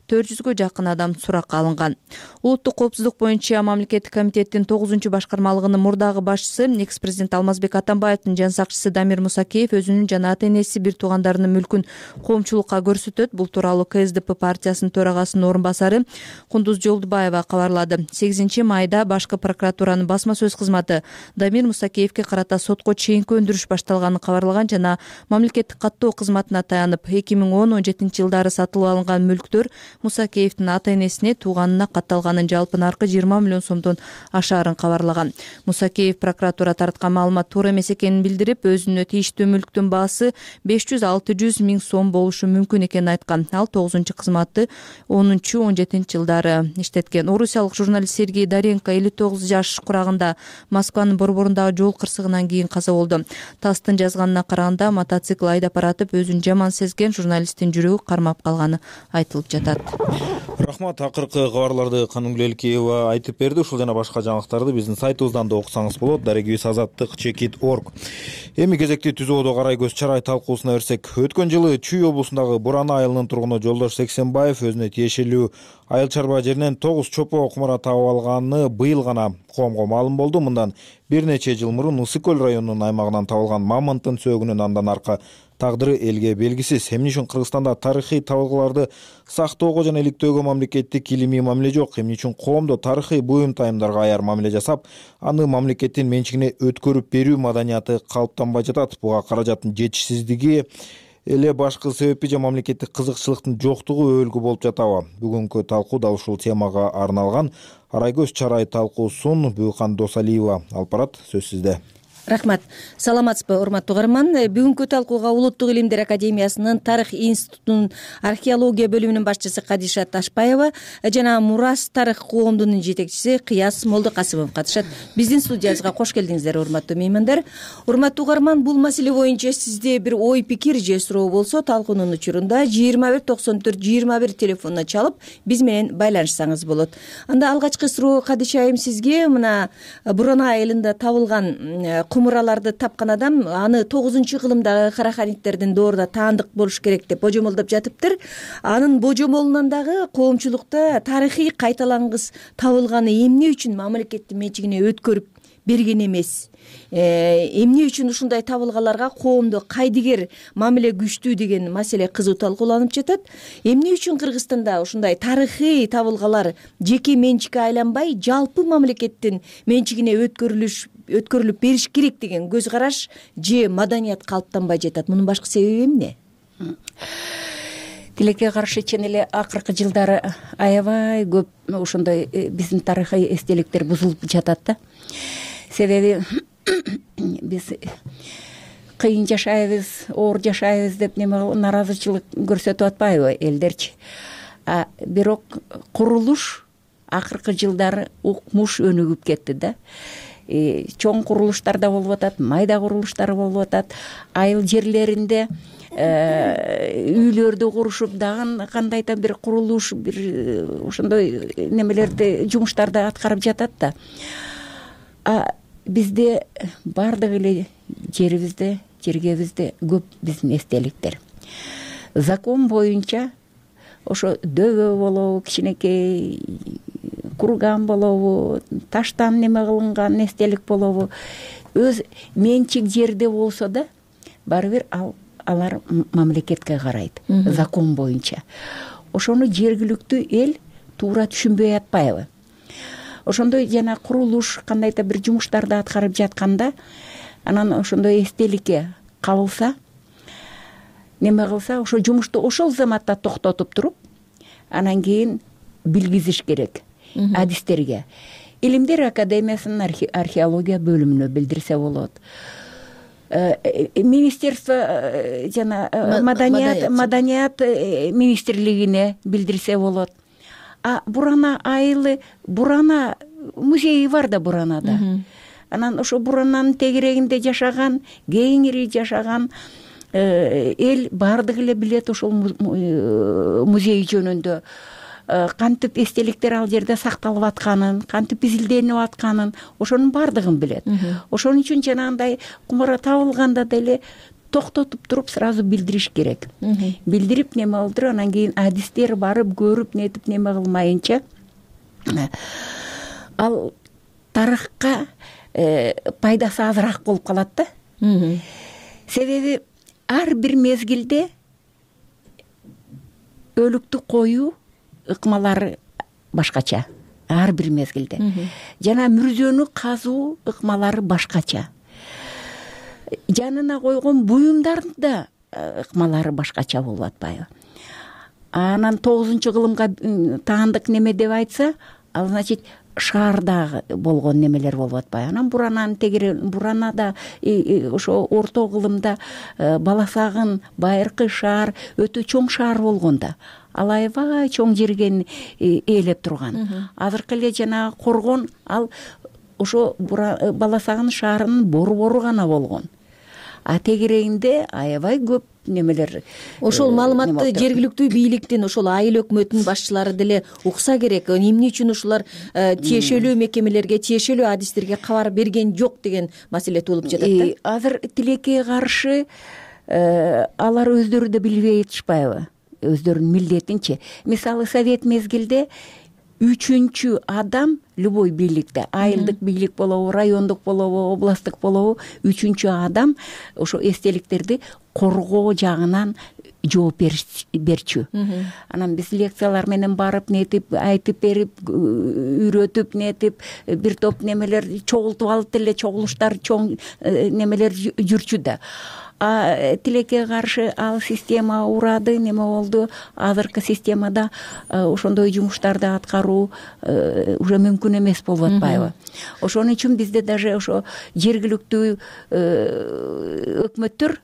400гө жакын адам суракка алынган. Улуттук коопсуздук боюнча мамлекеттик комитеттин 9 башкармалыгынын мурдагы башчысы, экс-президент Алмазбек Атамбаевдин жан сакчысы Дамир Мусакеев өзүнүн жана ата-энеси бир туугандарынын мүлкүн коомчулукка көрсөтөт. Бул тууралуу КСДП партиясынын төрагасынын орун басары Кундуз Жолдубаева кабарлады. 8 майда башкы прокуратуранын басма сөз кызматы Дамир Мусакеевке карата сотко чейинки өндүрүш башталганын кабарлаган жана мамлекеттик каттоо кызматына таянып 2010-17 жылдары сатылып алынган мүлктөр Мусакеевдин ата-энесине тууганына катталганын, жалпы наркы 20 миллион сомдон ашаарын кабарлаган. Мусакеев прокуратура тараткан маалымат туура эмес экенин билдирип, өзүнө тийиштүү мүлктүн баасы 500-600 миң сом болушу мүмкүн экенин айткан. Ал 9 кызматты 10-17 жылдары иштеткен. Орусиялык журналист Сергей Даренко 59 жаш курагында Москванын борборундагы жол кырсыгынан кийин каза болду. ТАССтын жазганына караганда мотоцикл айдап баратып өзүн жаман сезген журналисттин жүрөгү кармап калганы айтылып жатат. Рахмат. Акыркы кабарларды Канымгүл Элкеева айтып берди. Ушул жана башка жаңылыктарды биздин сайтыбыздан да окусаңыз болот. Дарегибиз azattik.org. Эми кезекти Түзөөдө карай көз чарай талкуусуна берсек, өткөн жылы Чүй облусундагы Буран айылынын тургуну Жолдош Сексенбаев өзүнө тиешелүү айыл чарба жеринен 9 чопо кумара таап алганы быйыл быйыл гана коомго маалым болду. Мындан бир нече жыл мурун Ысык көл районунун аймагынан табылган мамонттун сөөгүнүн андан аркы тагдыры элге белгисиз. Эмне үчүн Кыргызстанда тарыхый табылгаларды сактоого жана иликтөөгө мамлекеттик илимий мамиле жок? Эмне үчүн коомдо тарыхый буюм тайымдарга аяр мамиле жасап, аны мамлекеттин менчигине өткөрүп берүү маданияты калыптанбай жатат? Буга каражаттын жетишсиздиги эле башкы себеппи же мамлекеттик кызыкчылыктын жоктугу өбөлгү болуп жатабы? Бүгүнкү талкуу дал ушул темага арналган. Арайгөз Чарай талкуусун Бүйкан Досалиева алып барат. Сөз сизде. Рахмат. Саламатсызбы, урматтуу угарман. Бүгүнкү талкууга Улуттук илимдер академиясынын Тарых институтунун археология бөлүмүнүн башчысы Кадиша Ташпаева жана Мурас тарых коомдунун жетекчиси Кыяс Молдокасымов катышат. Биздин студиябызга кош келдиңиздер, урматтуу меймандар. Урматтуу угарман, бул маселе боюнча сизде бир ой пикир же суроо болсо, талкуунун учурунда 2194-21 телефонуна чалып биз менен байланышсаңыз болот. Анда алгачкы суроо Кадиша айым сизге. Мына Бурана айылында табылган кумураларды тапкан адам аны 9-кылымдагы караханиттердин доорунда таандык болуш керек деп божомолдоп жатыптыр. Анын божомолунан дагы коомчулукта тарыхый кайталангыс табылганы эмне үчүн мамлекеттин менчигине өткөрүп берген эмес? Эмне үчүн ушундай табылгаларга коомдо кайдыгер мамиле күчтүү деген маселе кызуу талкууланып жатат. Эмне үчүн Кыргызстанда ушундай тарыхый табылгалар жеке менчикке айланбай, жалпы мамлекеттин менчигине өткөрүлүп бериш керек деген көз караш же маданият калыптанбай жатат? Мунун башкы себеби эмне? Тилекке каршы чын эле акыркы жылдары аябай көп ошондой биздин тарыхый эстеликтер бузулуп жатат да. Себеби биз кыйын жашайбыз, оор жашайбыз деп нааразычылык көрсөтүп атпайбы элдерчи? Бирок курулуш акыркы жылдары укмуш өнүгүп кетти да. Чоң курулуштар да болуп атат, майда курулуштар болуп атат. Айыл жерлеринде үйлөрдү курушуп, дагы кандайда бир курулуш, бир ошондой немелерди, жумуштарды аткарып жатат да. Бизде бардык эле жергебизде көп биздин эстеликтер. Закон боюнча ошо дөбө болобу, кичинекей курган болобу, таштан неме кылынган эстелик болобу, өз менчик жерде болсо да, баары бир алар мамлекетке карайт, закон боюнча. Ошону жергиликтүү эл туура түшүнбөй атпайбы? Ошондой жана курулуш, кандайда бир жумуштарды аткарып жатканда, анан ошондой эстеликке кабылса, неме кылса, ошо жумушту ошол заматта токтотуп туруп, анан кийин билгизиш керек адистерге. Илимдер академиясынын археология бөлүмүнө билдирсе болот. Министерство жана маданият министрлигине билдирсе болот. Бурана айылы, Бурана музейи бар да Буранада. Анан ошо Бурананын тегерегинде жашаган, кеңири жашаган эл бардык эле билет ошол музей жөнүндө. Кантип эстеликтер ал жерде сакталып атканын, кантип изилденип атканын, ошонун бардыгын билет. Ошон үчүн жанагындай кумара табылганда деле токтотуп туруп сразу билдириш керек. Билдирип неме кылдырып, анан кийин адистер барып көрүп нетип неме кылмайынча ал тарыхка пайдасы азыраак болуп калат да. Себеби ар бир мезгилде өлүктү коюу ыкмалары башкача, ар бир мезгилде. Жана мүрзөнү казуу ыкмалары башкача. Жанына койгон буюмдардын да ыкмалары башкача болуп атпайбы? Анан 9-кылымга таандык неме деп айтса, ал значит шаардагы болгон немелер болуп атпайбы? Анан Бурананын тегере, Буранада ошо орто кылымда Баласагын, Байыркы шаар өтө чоң шаар болгон да. Ал аябай чоң жерге ээлеп турган. Азыркы эле жанагы Коргон ал ошо Баласагын шаарынын борбору гана болгон. Тегерегинде аябай көп немелер. Ошол маалыматты жергиликтүү бийликтин, ошол айыл өкмөтүнүн башчылары деле укса керек. Эмне үчүн ушулар тиешелүү мекемелерге, тиешелүү адистерге кабар берген жок деген маселе туулуп жатат да. Азыр тилекке каршы алар өздөрү да билбей атышпайбы? Өздөрүнүн милдетинчи. Мисалы Совет мезгилде 3-адам любой бийликте айылдык бийлик болобу, райондук болобу, областтык болобу, үчүнчү адам ошо эстеликтерди коргоо жагынан жооп берчү. Анан биз лекциялар менен барып нетип айтып берип, үйрөтүп нетип, бир топ немелер чогултуп алып деле чогулуштар чоң немелер жүрчү да. Тилекке каршы ал система урады, неме болду. Азыркы системада ошондой жумуштарды аткаруу уже мүмкүн эмес болуп атпайбы? Ошон үчүн бизде даже ошо жергиликтүү өкмөттөр,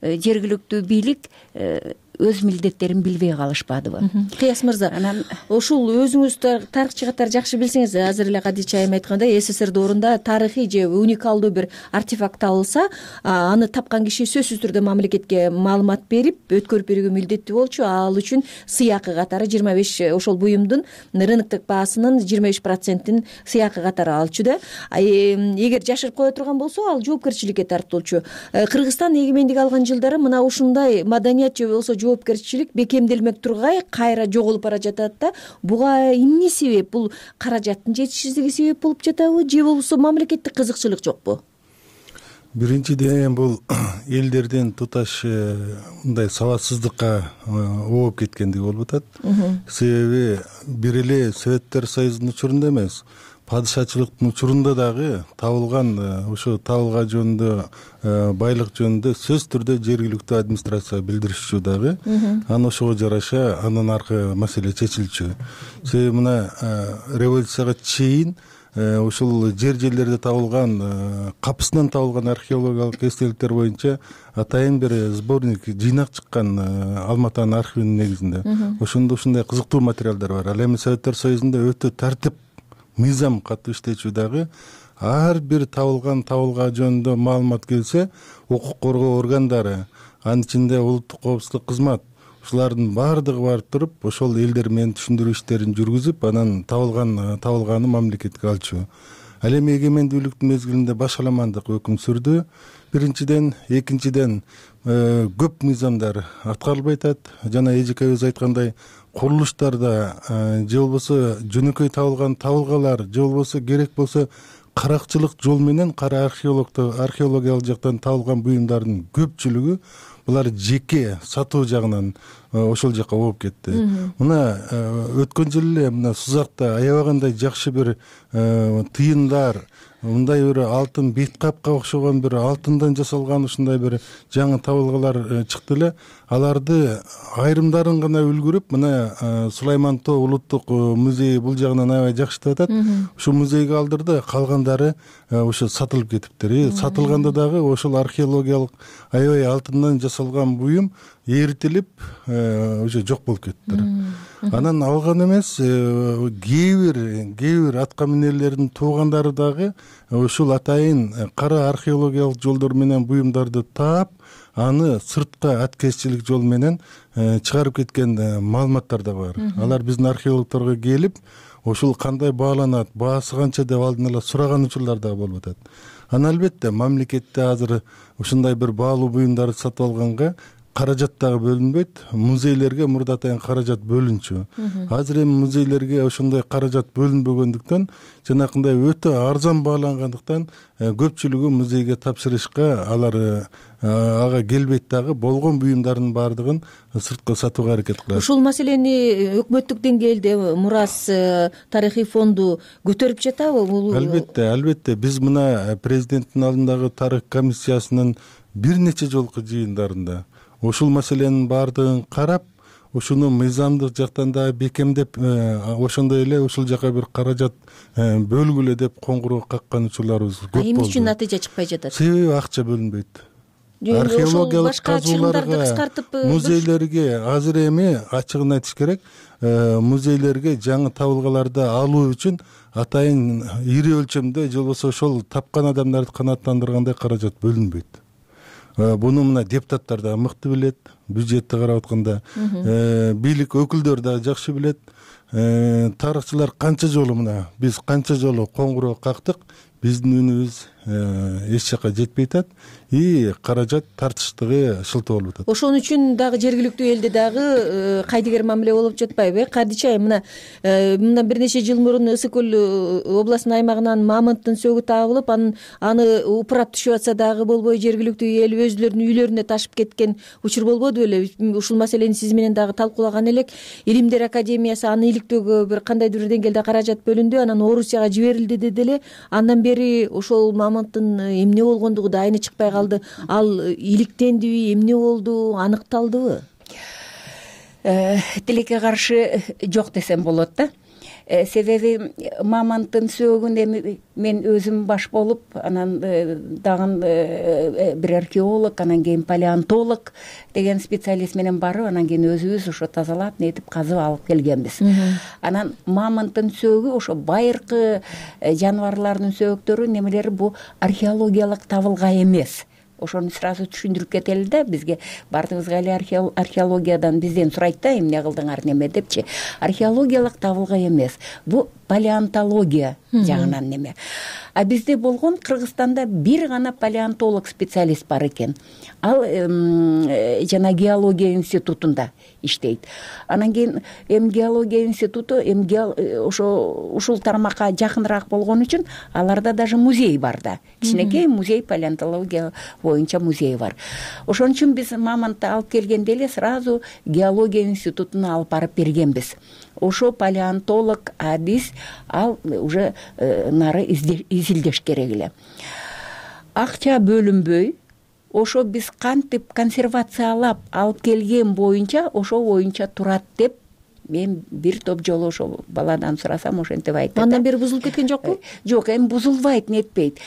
жергиликтүү бийлик өз милдеттерин билбей калышпадыбы? Кыяс мырза, ушул өзүңүз тарыхчы катары жакшы билсеңиз, азыр эле Кадича айым айткандай, СССР доорунда тарыхый же уникалдуу бир артефакт табылса, аны тапкан киши сөзсүз түрдө мамлекетке маалымат берип, өткөрүп берүүгө милдеттүү болчу. Ал үчүн сыйакы катары 25 ошол буюмдун рыноктук баасынын 25%-ин сыйакы катары алчу да. Эгер жашырып кое турган болсо, ал жоопкерчиликке тартылчу. Кыргызстан эгемендик алган жылдары мына ушундай маданият же болбосо жоопкерчилик бекемделмек тургай кайра жоголуп бара жатат да. Буга эмне себеп? Бул каражаттын жетишсиздиги себеп болуп жатабы же болбосо мамлекеттик кызыкчылык жокпу? Биринчиден бул элдердин туташ мындай сабатсыздыкка ооп кеткендиги болуп атат. Себеби бир эле Советтер Союзунун учурунда эмес, падышачылыктын учурунда дагы табылган ошо табылга жөнүндө, байлык жөнүндө сөзсүз түрдө жергиликтүү администрация билдиришчү дагы. Анан ошого жараша андан аркы маселе чечилчү. Себеби мына революцияга чейин ушул жерлерде табылган, капысынан табылган археологиялык эстеликтер боюнча атайын бир сборник, жыйнак чыккан Алматанын архивинин негизинде. Ошондо ушундай кызыктуу материалдар бар. Ал эми Советтер Союзунда өтө тартип, мыйзам катуу иштечү дагы. Ар бир табылга жөнүндө маалымат келсе, укук коргоо органдары, анын ичинде улуттук коопсуздук кызмат, ушулардын баардыгы барып туруп, ошол элдер менен түшүндүрүү иштерин жүргүзүп, анан табылганы мамлекетке алчу. Ал эми эгемендүүлүктүн мезгилинде башаламандык өкүм сүрдү. Биринчиден, экинчиден көп мыйзамдар аткарылбай атат. Жана эжекебиз айткандай, курулуштарда же болбосо жөнөкөй табылган табылгалар, же болбосо керек болсо каракчылык жол менен кара археологиялык жактан табылган буюмдардын көпчүлүгү булар жеке сатуу жагынан ошол жакка ооп кетти. Мына өткөн жылы эле мына Сузакта аябагандай жакшы бир тыйындар, мындай бир алтын бет капка окшогон бир алтындан жасалган ушундай бир жаңы табылгалар чыкты эле. Аларды айрымдарын гана үлгүрүп, мына Сулайман Тоо улуттук музейи бул жагынан аябай жакшытып атат. Ушу музейге алдырды, калгандары ошо сатылып кетиптир. Сатылганда дагы ошол археологиялык аябай алтындан жасалган буюм эритилип, уже жок болуп кетиптир. Анан алган эмес, кээ бир атка минерлердин туугандары дагы ушул атайын кара археологиялык жолдор менен буюмдарды таап, аны сыртка аткезчилик жол менен чыгарып кеткен маалыматтар да бар. Алар биздин археологторго келип, ошол кандай бааланат, баасы канча деп алдын ала сураган учурлар да болуп атат. Анан албетте мамлекетте азыр ушундай бир баалуу буюмдарды сатып алганга каражат дагы бөлүнбөйт. Музейлерге мурда атайын каражат бөлүнчү. Азыр эми музейлерге ошондой каражат бөлүнбөгөндүктөн, жанакындай өтө арзан баалангандыктан көпчүлүгү музейге тапшырышка алар ага келбейт дагы, болгон буюмдардын баардыгын сыртка сатууга аракет кылат. Ушул маселени өкмөттүк деңгээлде Мурас тарыхый фонду көтөрүп жатабы? Албетте. Биз мына президенттин алдындагы тарых комиссиясынын бир нече жолку жыйындарында ушул маселенин баардыгын карап, ушуну мыйзамдык жактан да бекемдеп, ошондой эле ушул жака бир каражат бөлгүлө деп коңгуроо каккан учурларыбыз көп болду. Эмне үчүн натыйжа чыкпай жатат? Себеби акча бөлүнбөйт. Археологиялык казууларга, музейлерге азыр эми ачыгын айтыш керек, музейлерге жаңы табылгаларды алуу үчүн атайын ири өлчөмдө же болбосо ошол тапкан адамдарды канааттандыргандай каражат бөлүнбөйт. Буну мына депутаттар да мыкты билет, бюджетти карап атканда, бийлик өкүлдөр да жакшы билет. Тарыхчылар канча жолу мына биз канча жолу коңгуроо кактык, биздин үнүбүз эч жака жетпей атат и каражат тартыштыгы шылтоо болуп атат. Ошон үчүн дагы жергиликтүү элде дагы кайдыгер мамиле болуп жатпайбы? Кадича айым, мындан бир нече жыл мурун Ысык көл областынын аймагынан мамонттун сөөгү табылып, аны упурап түшүп атса дагы болбой жергиликтүү эл өзүлөрүнүн үйлөрүнө ташып кеткен учур болбоду беле? Ушул маселени сиз менен дагы талкуулаган элек. Илимдер академиясы аны иликтөөгө бир кандайдыр бир деңгээлде каражат бөлүндү, анан Орусияга жиберилди деди эле. Андан бери ошол мамонттун эмне болгондугу да айны чыкпай калды. Ал иликтендиби, эмне болду, аныкталдыбы? Тилекке каршы жок десем болот да. Себеби мамонттун сөөгүн эми мен өзүм баш болуп, анан дагы бир археолог, анан кийин палеонтолог деген специалист менен барып, анан кийин өзүбүз ошо тазалап, нетип казып алып келгенбиз. Анан мамонттун сөөгү ошо байыркы жаныбарлардын сөөгүттөрү немелери бу археологиялык табылгай эмес. Ошону сразу түшүндүрүп кетели да, бизге баардыгыбызга эле археологиядан бизден сурайт да, эмне кылдыңар неме депчи. Археологиялык табылгай эмес. Бу палеонтология жагынан неме. А бизде болгон Кыргызстанда бир гана палеонтолог специалист бар экен. Ал жана геология институтунда иштейт. Анан кийин геология институту ушул тармакка жакыныраак болгон үчүн аларда даже музей бар да. Кичинекей музей, палеонтология боюнча музей бар. Ошон үчүн биз мамонтты алып келгенде эле сразу геология институтуна алып барып бергенбиз. Ошо палеонтолог, а биз ал уже нары изилдеш керек эле. Акча бөлүнбөй, ошо биз кантип консервациялап алып келген боюнча, ошо боюнча турат деп мен бир топ жолу ошо баладан сурасам, ошентип айтты. Андан бери бузулуп кеткен жокпу? Жок, эми бузулбайт, нетпейт.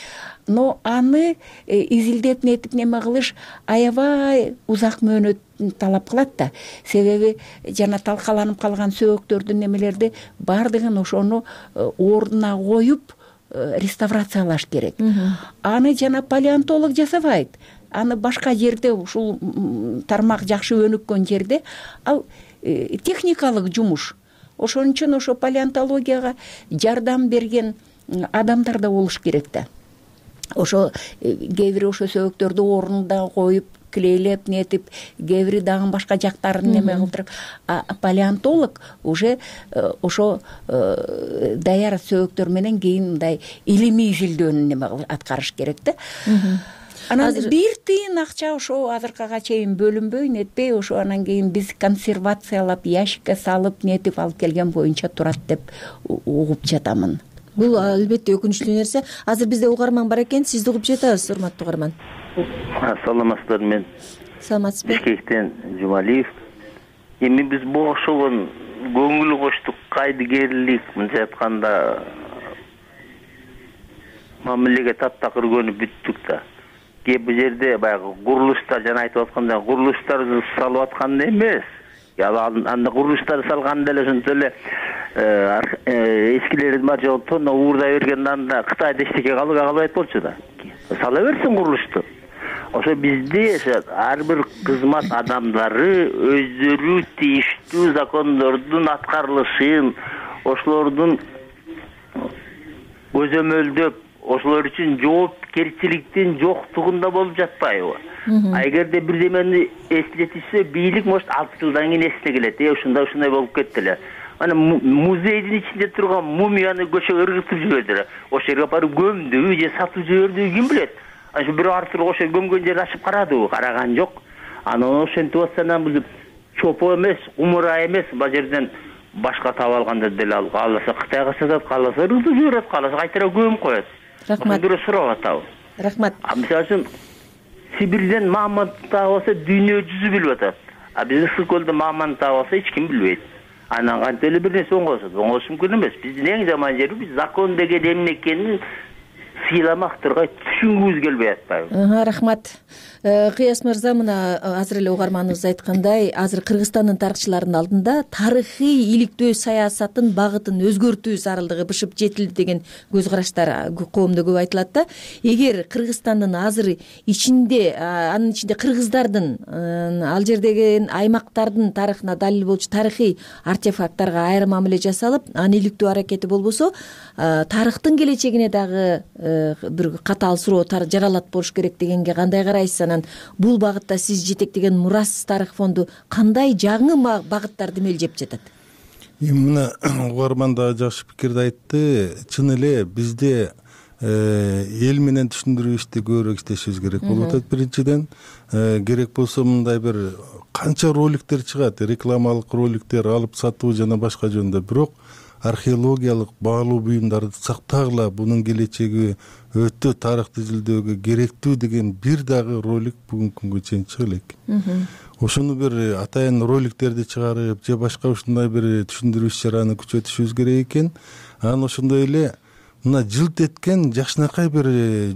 Но аны изилдеп нетип неме кылыш аябай узак мөөнөт талап кылат да. Себеби жана талкаланып калган сөөгүктөрдүн немелерди баардыгын ошону ордуна коюп реставрациялаш керек. Аны жана палеонтолог жасабайт. Аны башка жерде, ушул тармак жакшы өнүккөн жерде ал техникалык жумуш. Ошон үчүн ошо палеонтологияга жардам берген адамдар да болуш керек да. Ошо кээ бир ошо сөөгүктөрдү ордуна коюп, клейлеп, нетип, кээ бири дагы башка жактарын неме кылдырып, палеонтолог уже ошо даяр сөөгүктөр менен кийин мындай илимий изилдөөнү неме аткарыш керек да. Анан бир тыйын акча ошо азыркыга чейин бөлүнбөй, нетпей, ошо анан кийин биз консервациялап, ящикке салып, нетип алып келген боюнча турат деп угуп жатамын. Бул албетте өкүнүчтүү нерсе. Азыр бизде угарман бар экен, сизди угуп жатабыз, урматтуу угарман. Саламатсыздар, мен Саламатсызбы? Бишкектен Жумалиев. Эми биз бул ошого көңүл коштук, кайдыгерлик, мынча айтканда мамилеге таптакыр көнүп бүттүк да. Кээ бир жерде баягы курулуштар, жана айтып аткандай, курулуштарды салып атканда эмес. Анда курулуштарды салганда эле ошентип эле эскилердин бар жогу тонно уурдай бергенде анда Кытайда эчтеке калбайт болчу да. Сала берсин курулушту. Ошо бизде ар бир кызмат адамдары өздөрү тийиштүү закондордун аткарылышын, ошолордун көзөмөлдөп, ошолор үчүн жоопкерчиликтин жоктугунда болуп жатпайбы? Эгерде бирдемени эслетишсе, бийлик может 6 жылдан кийин эсине келет. Ушундай болуп кетти эле. Ана музейдин ичинде турган мумияны көчөгө ыргытып жиберди. Ошол жерге барып көмдүбү же сатып жибердиби ким билет? Ошо бирөө артыр ошо көмгөн жерди ачып карадыбы? Караган жок. Анан ошентип атсанан бул чопо эмес, умура эмес, бул жерден башка таап алганда деле ал кааласа Кытайга сатат, кааласа ыргытып жиберет, кааласа кайтара көмүп коет. Рахмат. Бирөө сурап атабы? Рахмат. Мисалы үчүн Сибирден мамонт таап алса дүйнө жүзү билип атат. А биз Ысык көлдө мамонт таап алса эч ким билбейт. Анан кантип эле бир нерсе оңгосот, оңгош мүмкүн эмес. Биздин эң жаман жери биз закон деген эмне экенин сыйламак тургай түшүнгүбүз келбей атпайбы? Рахмат. Кыяс мырза, мына азыр эле угарманыбыз айткандай, азыр Кыргызстандын тарыхчыларынын алдында тарыхый иликтөө саясатын багытын өзгөртүү зарылдыгы бышып жетилди деген көз караштар коомдо көп айтылат да. Эгер Кыргызстандын азыр ичинде, анын ичинде кыргыздардын ал жердеги аймактардын тарыхына далил болчу тарыхый артефакттарга айрым мамиле жасалып, аны иликтөө аракети болбосо, тарыхтын келечегине дагы бир катаал суроо жаралат болуш керек дегенге кандай карайсыз? Анан бул багытта сиз жетектеген Мурас тарых фонду кандай жаңы багыттарды мелжеп жатат? Мына угарман да жакшы пикирди айтты. Чын эле бизде эл менен түшүндүрүү ишти көбүрөөк иштешибиз керек болуп атат. Биринчиден керек болсо мындай бир канча роликтер чыгат, рекламалык роликтер алып сатуу жана башка жөнүндө. Бирок археологиялык баалуу буюмдарды сактагыла, бунун келечеги өтө тарыхты изилдөөгө керектүү деген бир дагы ролик бүгүнкү күнгө чейин чыга элек. Ошону бир атайын роликтерди чыгарып же башка ушундай бир түшүндүрүү иш-чараны күчөтүшүбүз керек экен. Анан ошондой эле мына жылт эткен жакшынакай бир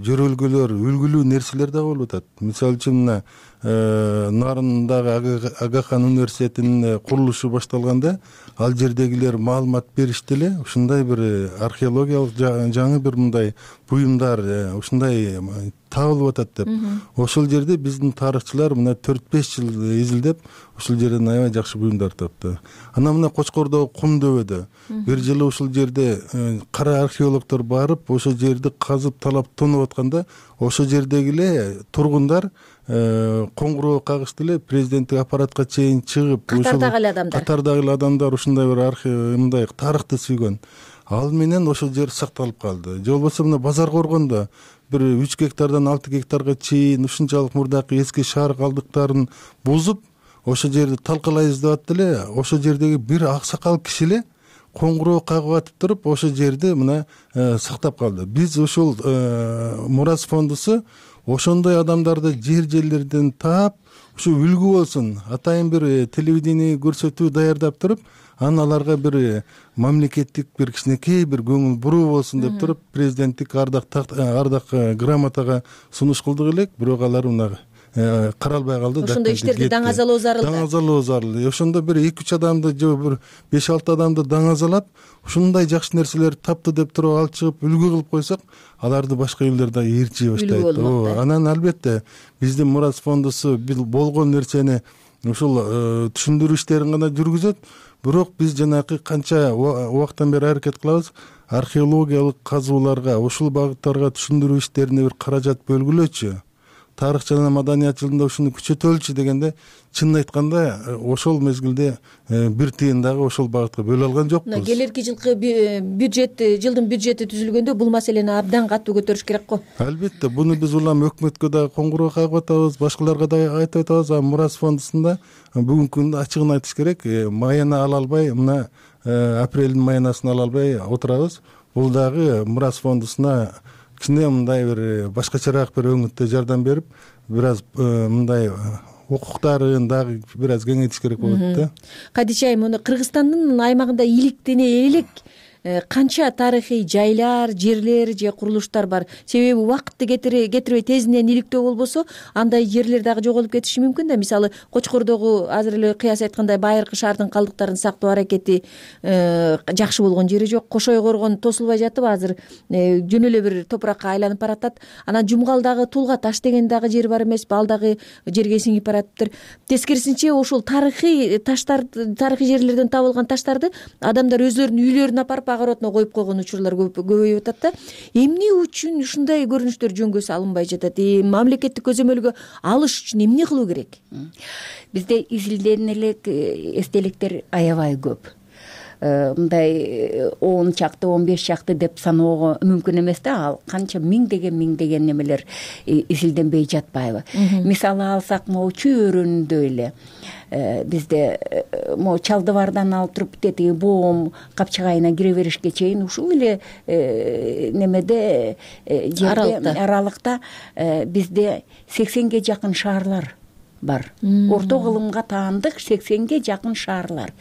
жөрөлгөлөр, үлгүлүү нерселер да болуп атат. Мисалы үчүн мына Нарындагы Агахан университетинин курулушу башталганда ал жердегилер маалымат беришти эле. Ушундай бир археологиялык жаңы бир мындай буюмдар ушундай табылып атат деп. Ошол жерде биздин тарыхчылар мына 4-5 жыл изилдеп ушул жерден аябай жакшы буюмдар тапты. Анан мына Кочкордогу Кум дөбөдө бир жылы ушул жерде кара археологдор барып, ошол жерди казып талап тонуп атканда, ошол жердеги эле тургундар коңгуроо кагышты эле, президенттик аппаратка чейин чыгып, катардагы эле адамдар ушундай бир мындай тарыхты сүйгөн. Ал менен ошол жер сакталып калды. Же болбосо мына Базар Коргондо бир 3 гектардан 6 гектарга чейин ушунчалык мурдакы эски шаар калдыктарын бузуп, ошол жерди талкалайбыз деп атты эле. Ошол жердеги бир аксакал киши эле коңгуроо кагып атып туруп, ошол жерди мына сактап калды. Биз ошол Мурас фондусу ошондой адамдарды жерлерден таап, ушу үлгү болсун, атайын бир телевидение көрсөтүү даярдап туруп, анан аларга бир мамлекеттик бир кичинекей бир көңүл буруу болсун деп туруп, президенттик ардак грамотага сунуш кылдык элек, бирок алар мына каралбай калды. Ошондой иштерди даңазалоо зарыл. Даңазалоо зарыл. Ошондо бир 2-3 адамды же бир 5-6 адамды даңазалап, ушундай жакшы нерселер тапты деп туруп алып чыгып үлгү кылып койсок, аларды башка элдер да ээрчий баштайт. Анан албетте биздин Мурас фондусу болгон нерсени ушул түшүндүрүү иштерин гана жүргүзөт. Бирок биз жанакы канча убакыттан бери аракет кылабыз, археологиялык казууларга, ушул багыттарга түшүндүрүү иштерине бир каражат бөлгүлөчү. Тарых жана маданият жылында ушуну күчөтөлчү дегенде, чынын айтканда ошол мезгилде бир тыйын дагы ошол багытка бөлө алган жокпуз. Келерки жылкы жылдын бюджети түзүлгөндө бул маселени абдан катуу көтөрүш керек го. Албетте, буну биз улам өкмөткө дагы коңгуроо кагып атабыз, башкаларга да айтып атабыз. Мурас фондусунда бүгүнкү күндө ачыгын айтыш керек, майына ала албай, мына апрелдин майынасын ала албай отурабыз. Бул дагы Мурас фондусуна кичине мындай бир башкачараак бир өңүттө жардам берип, бир аз мындай укуктарын дагы бир аз кеңейтиш керек болот да. Кадиша айым, муну Кыргызстандын аймагында иликтене элек канча тарыхый жайлар, жерлер же курулуштар бар. Себеби убакытты кетирбей тезинен иликтөө болбосо, андай жерлер дагы жоголуп кетиши мүмкүн да. Мисалы, Кочкордогу азыр эле кыяс айткандай байыркы шаардын калдыктарын сактоо аракети жакшы болгон жери жок. Кошой коргон тосулбай жатып, азыр жөн эле бир топуракка айланып баратат. Анан Жумгалдагы Тулга таш деген дагы жер бар эмеспи? Ал дагы жерге сиңип баратыптыр. Тескерисинче, ошол тарыхый таштар, тарыхый жерлерден табылган таштарды адамдар өзлөрүнүн үйлөрүнө апарып агаротуна коюп койгон учурлар көбөйүп атат да. Эмне үчүн ушундай көрүнүштөр жөнгө салынбай жатат? Мамлекеттик көзөмөлгө алыш үчүн эмне кылуу керек? Бизде изилден элек эстеликтер аябай көп. Мындай 10 чакты, 15 чакты деп саноого мүмкүн эмес да. Ал канча миңдеген немелер изилденбей жатпайбы? Мисалы алсак, могу Чүй өрөөнүндө эле бизде могу Чалдыбардан алып туруп тетиги Боом капчыгайына кире беришке чейин ушул эле немеде аралыкта бизде 80ге жакын шаарлар бар. Орто кылымга таандык 80ге жакын шаарлар.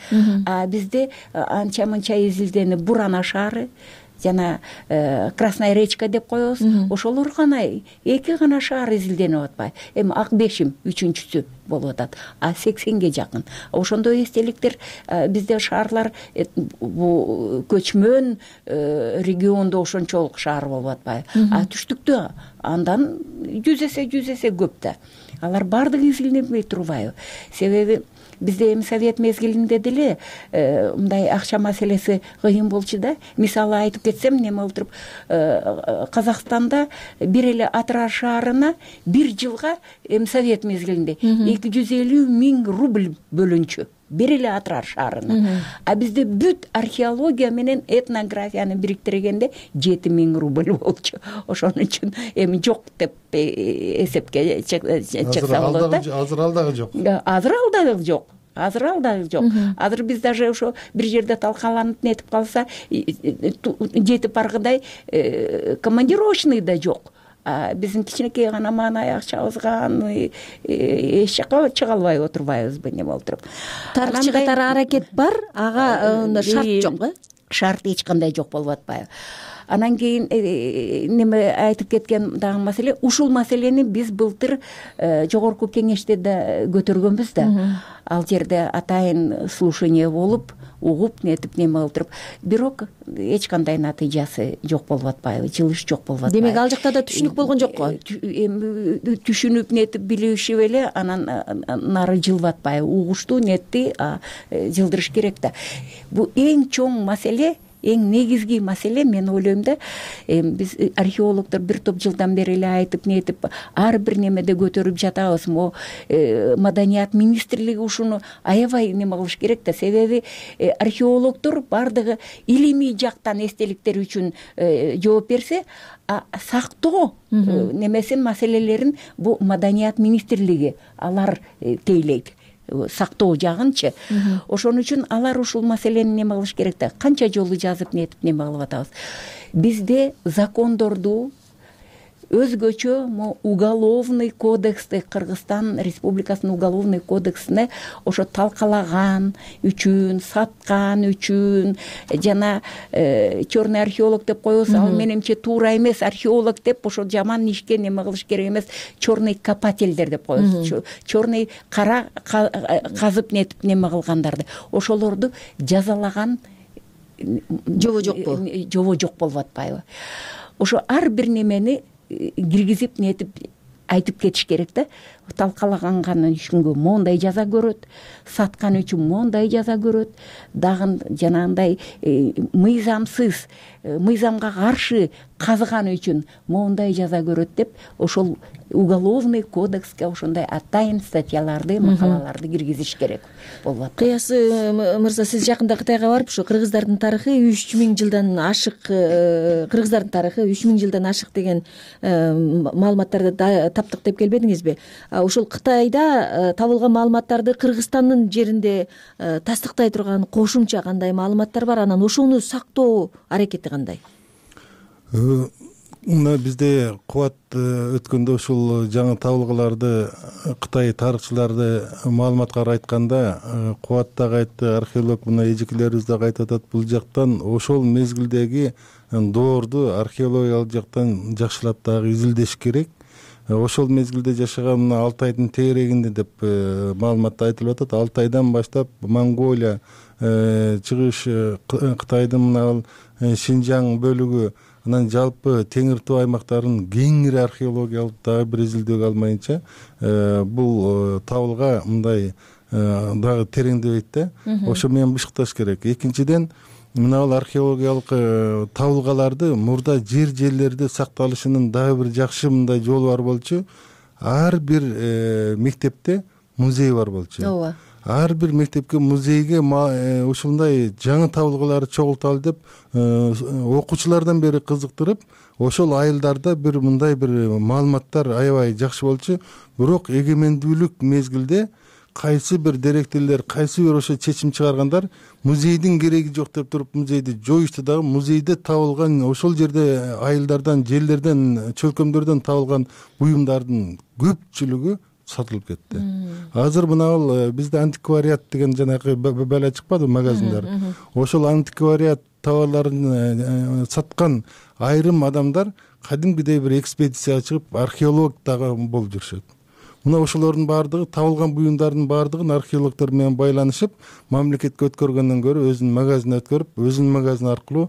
Бизде анча-мынча изилденип Бурана шаары жана Красная речка деп коебуз. Ошолор гана 2 гана шаар изилденип атпайбы? Эми Ак Бешим 3-чүсү болуп атат. 80ге жакын. Ошондой эстеликтер бизде шаарлар бу көчмөн региондо ошончолук шаар болуп атпайбы? Түштүктө андан 100 эсе көп да. Алар баардыгы изилденбей турбайбы? Себеби бизде эми совет мезгилинде деле мындай акча маселеси кыйын болчу да. Мисалы айтып кетсем, неме болуп туруп, Казакстанда бир эле Атыраш шаарына бир жылга эми совет мезгилинде 250 000 рубль бөлүнчү. Бир эле Атыраш шаарына. А бизде бүт археология менен этнографияны бириктиргенде 7 000 рубль болчу. Ошон үчүн эми жок деп эсепке чыкса болот да. Азыр ал дагы жок. Азыр ал дагы жок. Азыр биз даже ошо бир жерде талкаланып нетип калса, жетип баргыдай командировочный да жок. Биздин кичинекей гана маанай акчабызган эч жака чыга албай отурбайбызбы неме болуп туруп. Тарыхчы катары аракет бар, ага шарт жок э? Шарт эч кандай жок болуп атпайбы. Анан кийин неме айтып кеткен дагы маселе, ушул маселени биз былтыр жогорку кеңеште да көтөргөнбүз да. Ал жерде атайын слушание болуп, угуп нетип неме болуп туруп, бирок эч кандай натыйжасы жок болуп атпайбы, жылыш жок болуп атпайбы. Демек ал жакта да түшүнүк болгон жокко? Түшүнүп нетип билишип эле анан нары жылып атпайбы. Угушту нетти, жылдырыш керек да. Бул эң чоң маселе, эң негизги маселе, мен ойлойм да, биз археологдор бир топ жылдан бери эле айтып нетип, ар бир немеде көтөрүп жатабыз. Маданият министрлиги ушуну аябай неме кылыш керек да, себеби археологдор бардыгы илимий жактан эстеликтер үчүн жооп берсе, сактоо немесин маселелерин бул маданият министрлиги алар тейлейт. Сактоо жагынчы. Ошон үчүн алар ушул маселени неме кылыш керек да. Канча жолу жазып нетип неме кылып атабыз. Бизде закондорду өзгөчө уголовный кодексти, Кыргызстан Республикасынын уголовный кодексине ошо талкалаган үчүн, саткан үчүн, жана черный археолог деп коебуз, ал менимче туура эмес, археолог деп ошо жаман ишке неме кылыш керек эмес, черный копательдер деп коебуз. Черный кара казып нетип неме кылгандарды, ошолорду жазалаган жобо жокпу? Жобо жок болуп атпайбы? Ошо ар бир немени киргизип нетип айтып кетиш керек да. Талкалаган үчүнгө мондай жаза көрөт, саткан үчүн мондай жаза көрөт, дагы жанагындай мыйзамсыз, мыйзамга каршы казган үчүн мондай жаза көрөт деп, ошол уголовный кодекске ошондой атайын статьяларды, макалаларды киргизиш керек болуп атат. Кыясы мырза, сиз жакында Кытайга барып, ушу кыргыздардын тарыхы 3000 жылдан ашык, кыргыздардын тарыхы 3000 жылдан ашык деген маалыматтарды таптык деп келбедиңизби? Ушул Кытайда табылган маалыматтарды Кыргызстандын жеринде тастыктай турган кошумча кандай маалыматтар бар? Анан ошону сактоо аракети кандай? Мына бизде кубат өткөндө ушул жаңы табылгаларды Кытай тарыхчыларды маалыматка айтканда, Кубат дагы айтты, археолог мына эжекелерибиз дагы айтып атат, бул жактан ошол мезгилдеги доорду археологиялык жактан жакшылап дагы изилдеш керек. Ошол мезгилде жашаган мына Алтайдын тегерегинде деп маалыматта айтылып атат. Алтайдан баштап Монголия, чыгыш Кытайдын мына Шинжаң бөлүгү, анан жалпы Теңир Тоо аймактарын кеңири археологиялык дагы бир изилдөөгө алмайынча бул табылга мындай дагы тереңдебейт да. Ошо менен бышыкташ керек. Экинчиден, мына археологиялык табылгаларды мурда жерлерде сакталышынын дагы бир жакшы мындай жолу бар болчу. Ар бир мектепте музей бар болчу. Ооба. Ар бир мектепке, музейге ушундай жаңы табылгаларды чогулталы деп окуучулардан бери кызыктырып, ошол айылдарда бир мындай бир маалыматтар аябай жакшы болчу. Бирок эгемендүүлүк мезгилде кайсы бир директорлор, кайсы бир ошо чечим чыгаргандар музейдин кереги жок деп туруп музейди жоюшту дагы. Музейде табылган ошол жерде айылдардан, жерлерден, чөлкөмдөрдөн табылган буюмдардын көпчүлүгү сатылып кетти. Азыр мына бизде антиквариат деген жанагы бала чыкпады магазиндар. Ошол антиквариат товарларын саткан айрым адамдар кадимгидей бир экспедицияга чыгып археолог дагы болуп жүрүшөт. Мына ошолордун баардыгы, табылган буюмдардын баардыгын археологдор менен байланышып, мамлекетке өткөргөндөн көрө өзүнүн магазинине өткөрүп, өзүнүн магазини аркылуу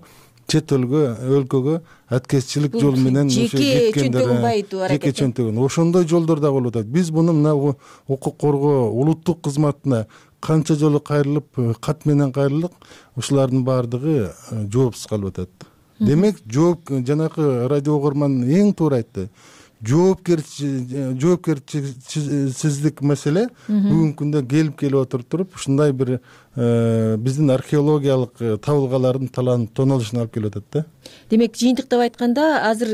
чет өлкөгө аткезчилик жол менен жеке чөнтөгүн байытуу аракети, жеке чөнтөгүн ошондой жолдор да болуп атат. Биз муну мына укук коргоо улуттук кызматына канча жолу кайрылып, кат менен кайрылдык, ушулардын баардыгы жоопсуз калып атат. Демек, жанакы радио угарман эң туура айтты. Жоопкерчилик маселе бүгүнкү күндө келип отуруп, ушундай бир биздин археологиялык табылгалардын таланып тонолушуна алып келип атат да. Демек, жыйынтыктап айтканда, азыр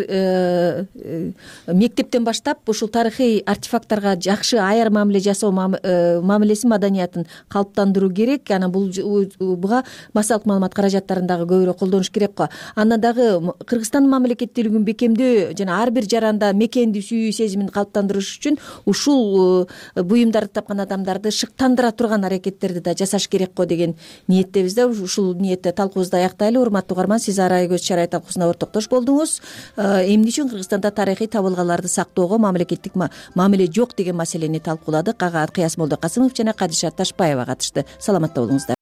мектептен баштап ушул тарыхый артефакттарга жакшы аяр мамиле жасоо мамилеси маданиятын калыптандыруу керек. Анан буга массалык маалымат каражаттарын дагы көбүрөөк колдонуш керек го. Андан дагы Кыргызстандын мамлекеттүүлүгүн бекемдөө жана ар бир жаранда мекенди сүйүү сезимин калыптандырыш үчүн ушул буюмдарды тапкан адамдарды шыктандыра турган аракеттерди да жасаш керек го деген ниеттебиз да. Ушул ниетте талкуубузду аяктайлы. Урматтуу угарман, сиз Арай көз чарай талкуусуна ортоктош болдуңуз. Эмне үчүн Кыргызстанда тарыхый табылгаларды сактоого мамлекеттик мамиле жок деген маселени талкууладык. Ага Кыясмолдо Касымов жана Кадиша Ташпаева катышты. Саламатта болуңуздар.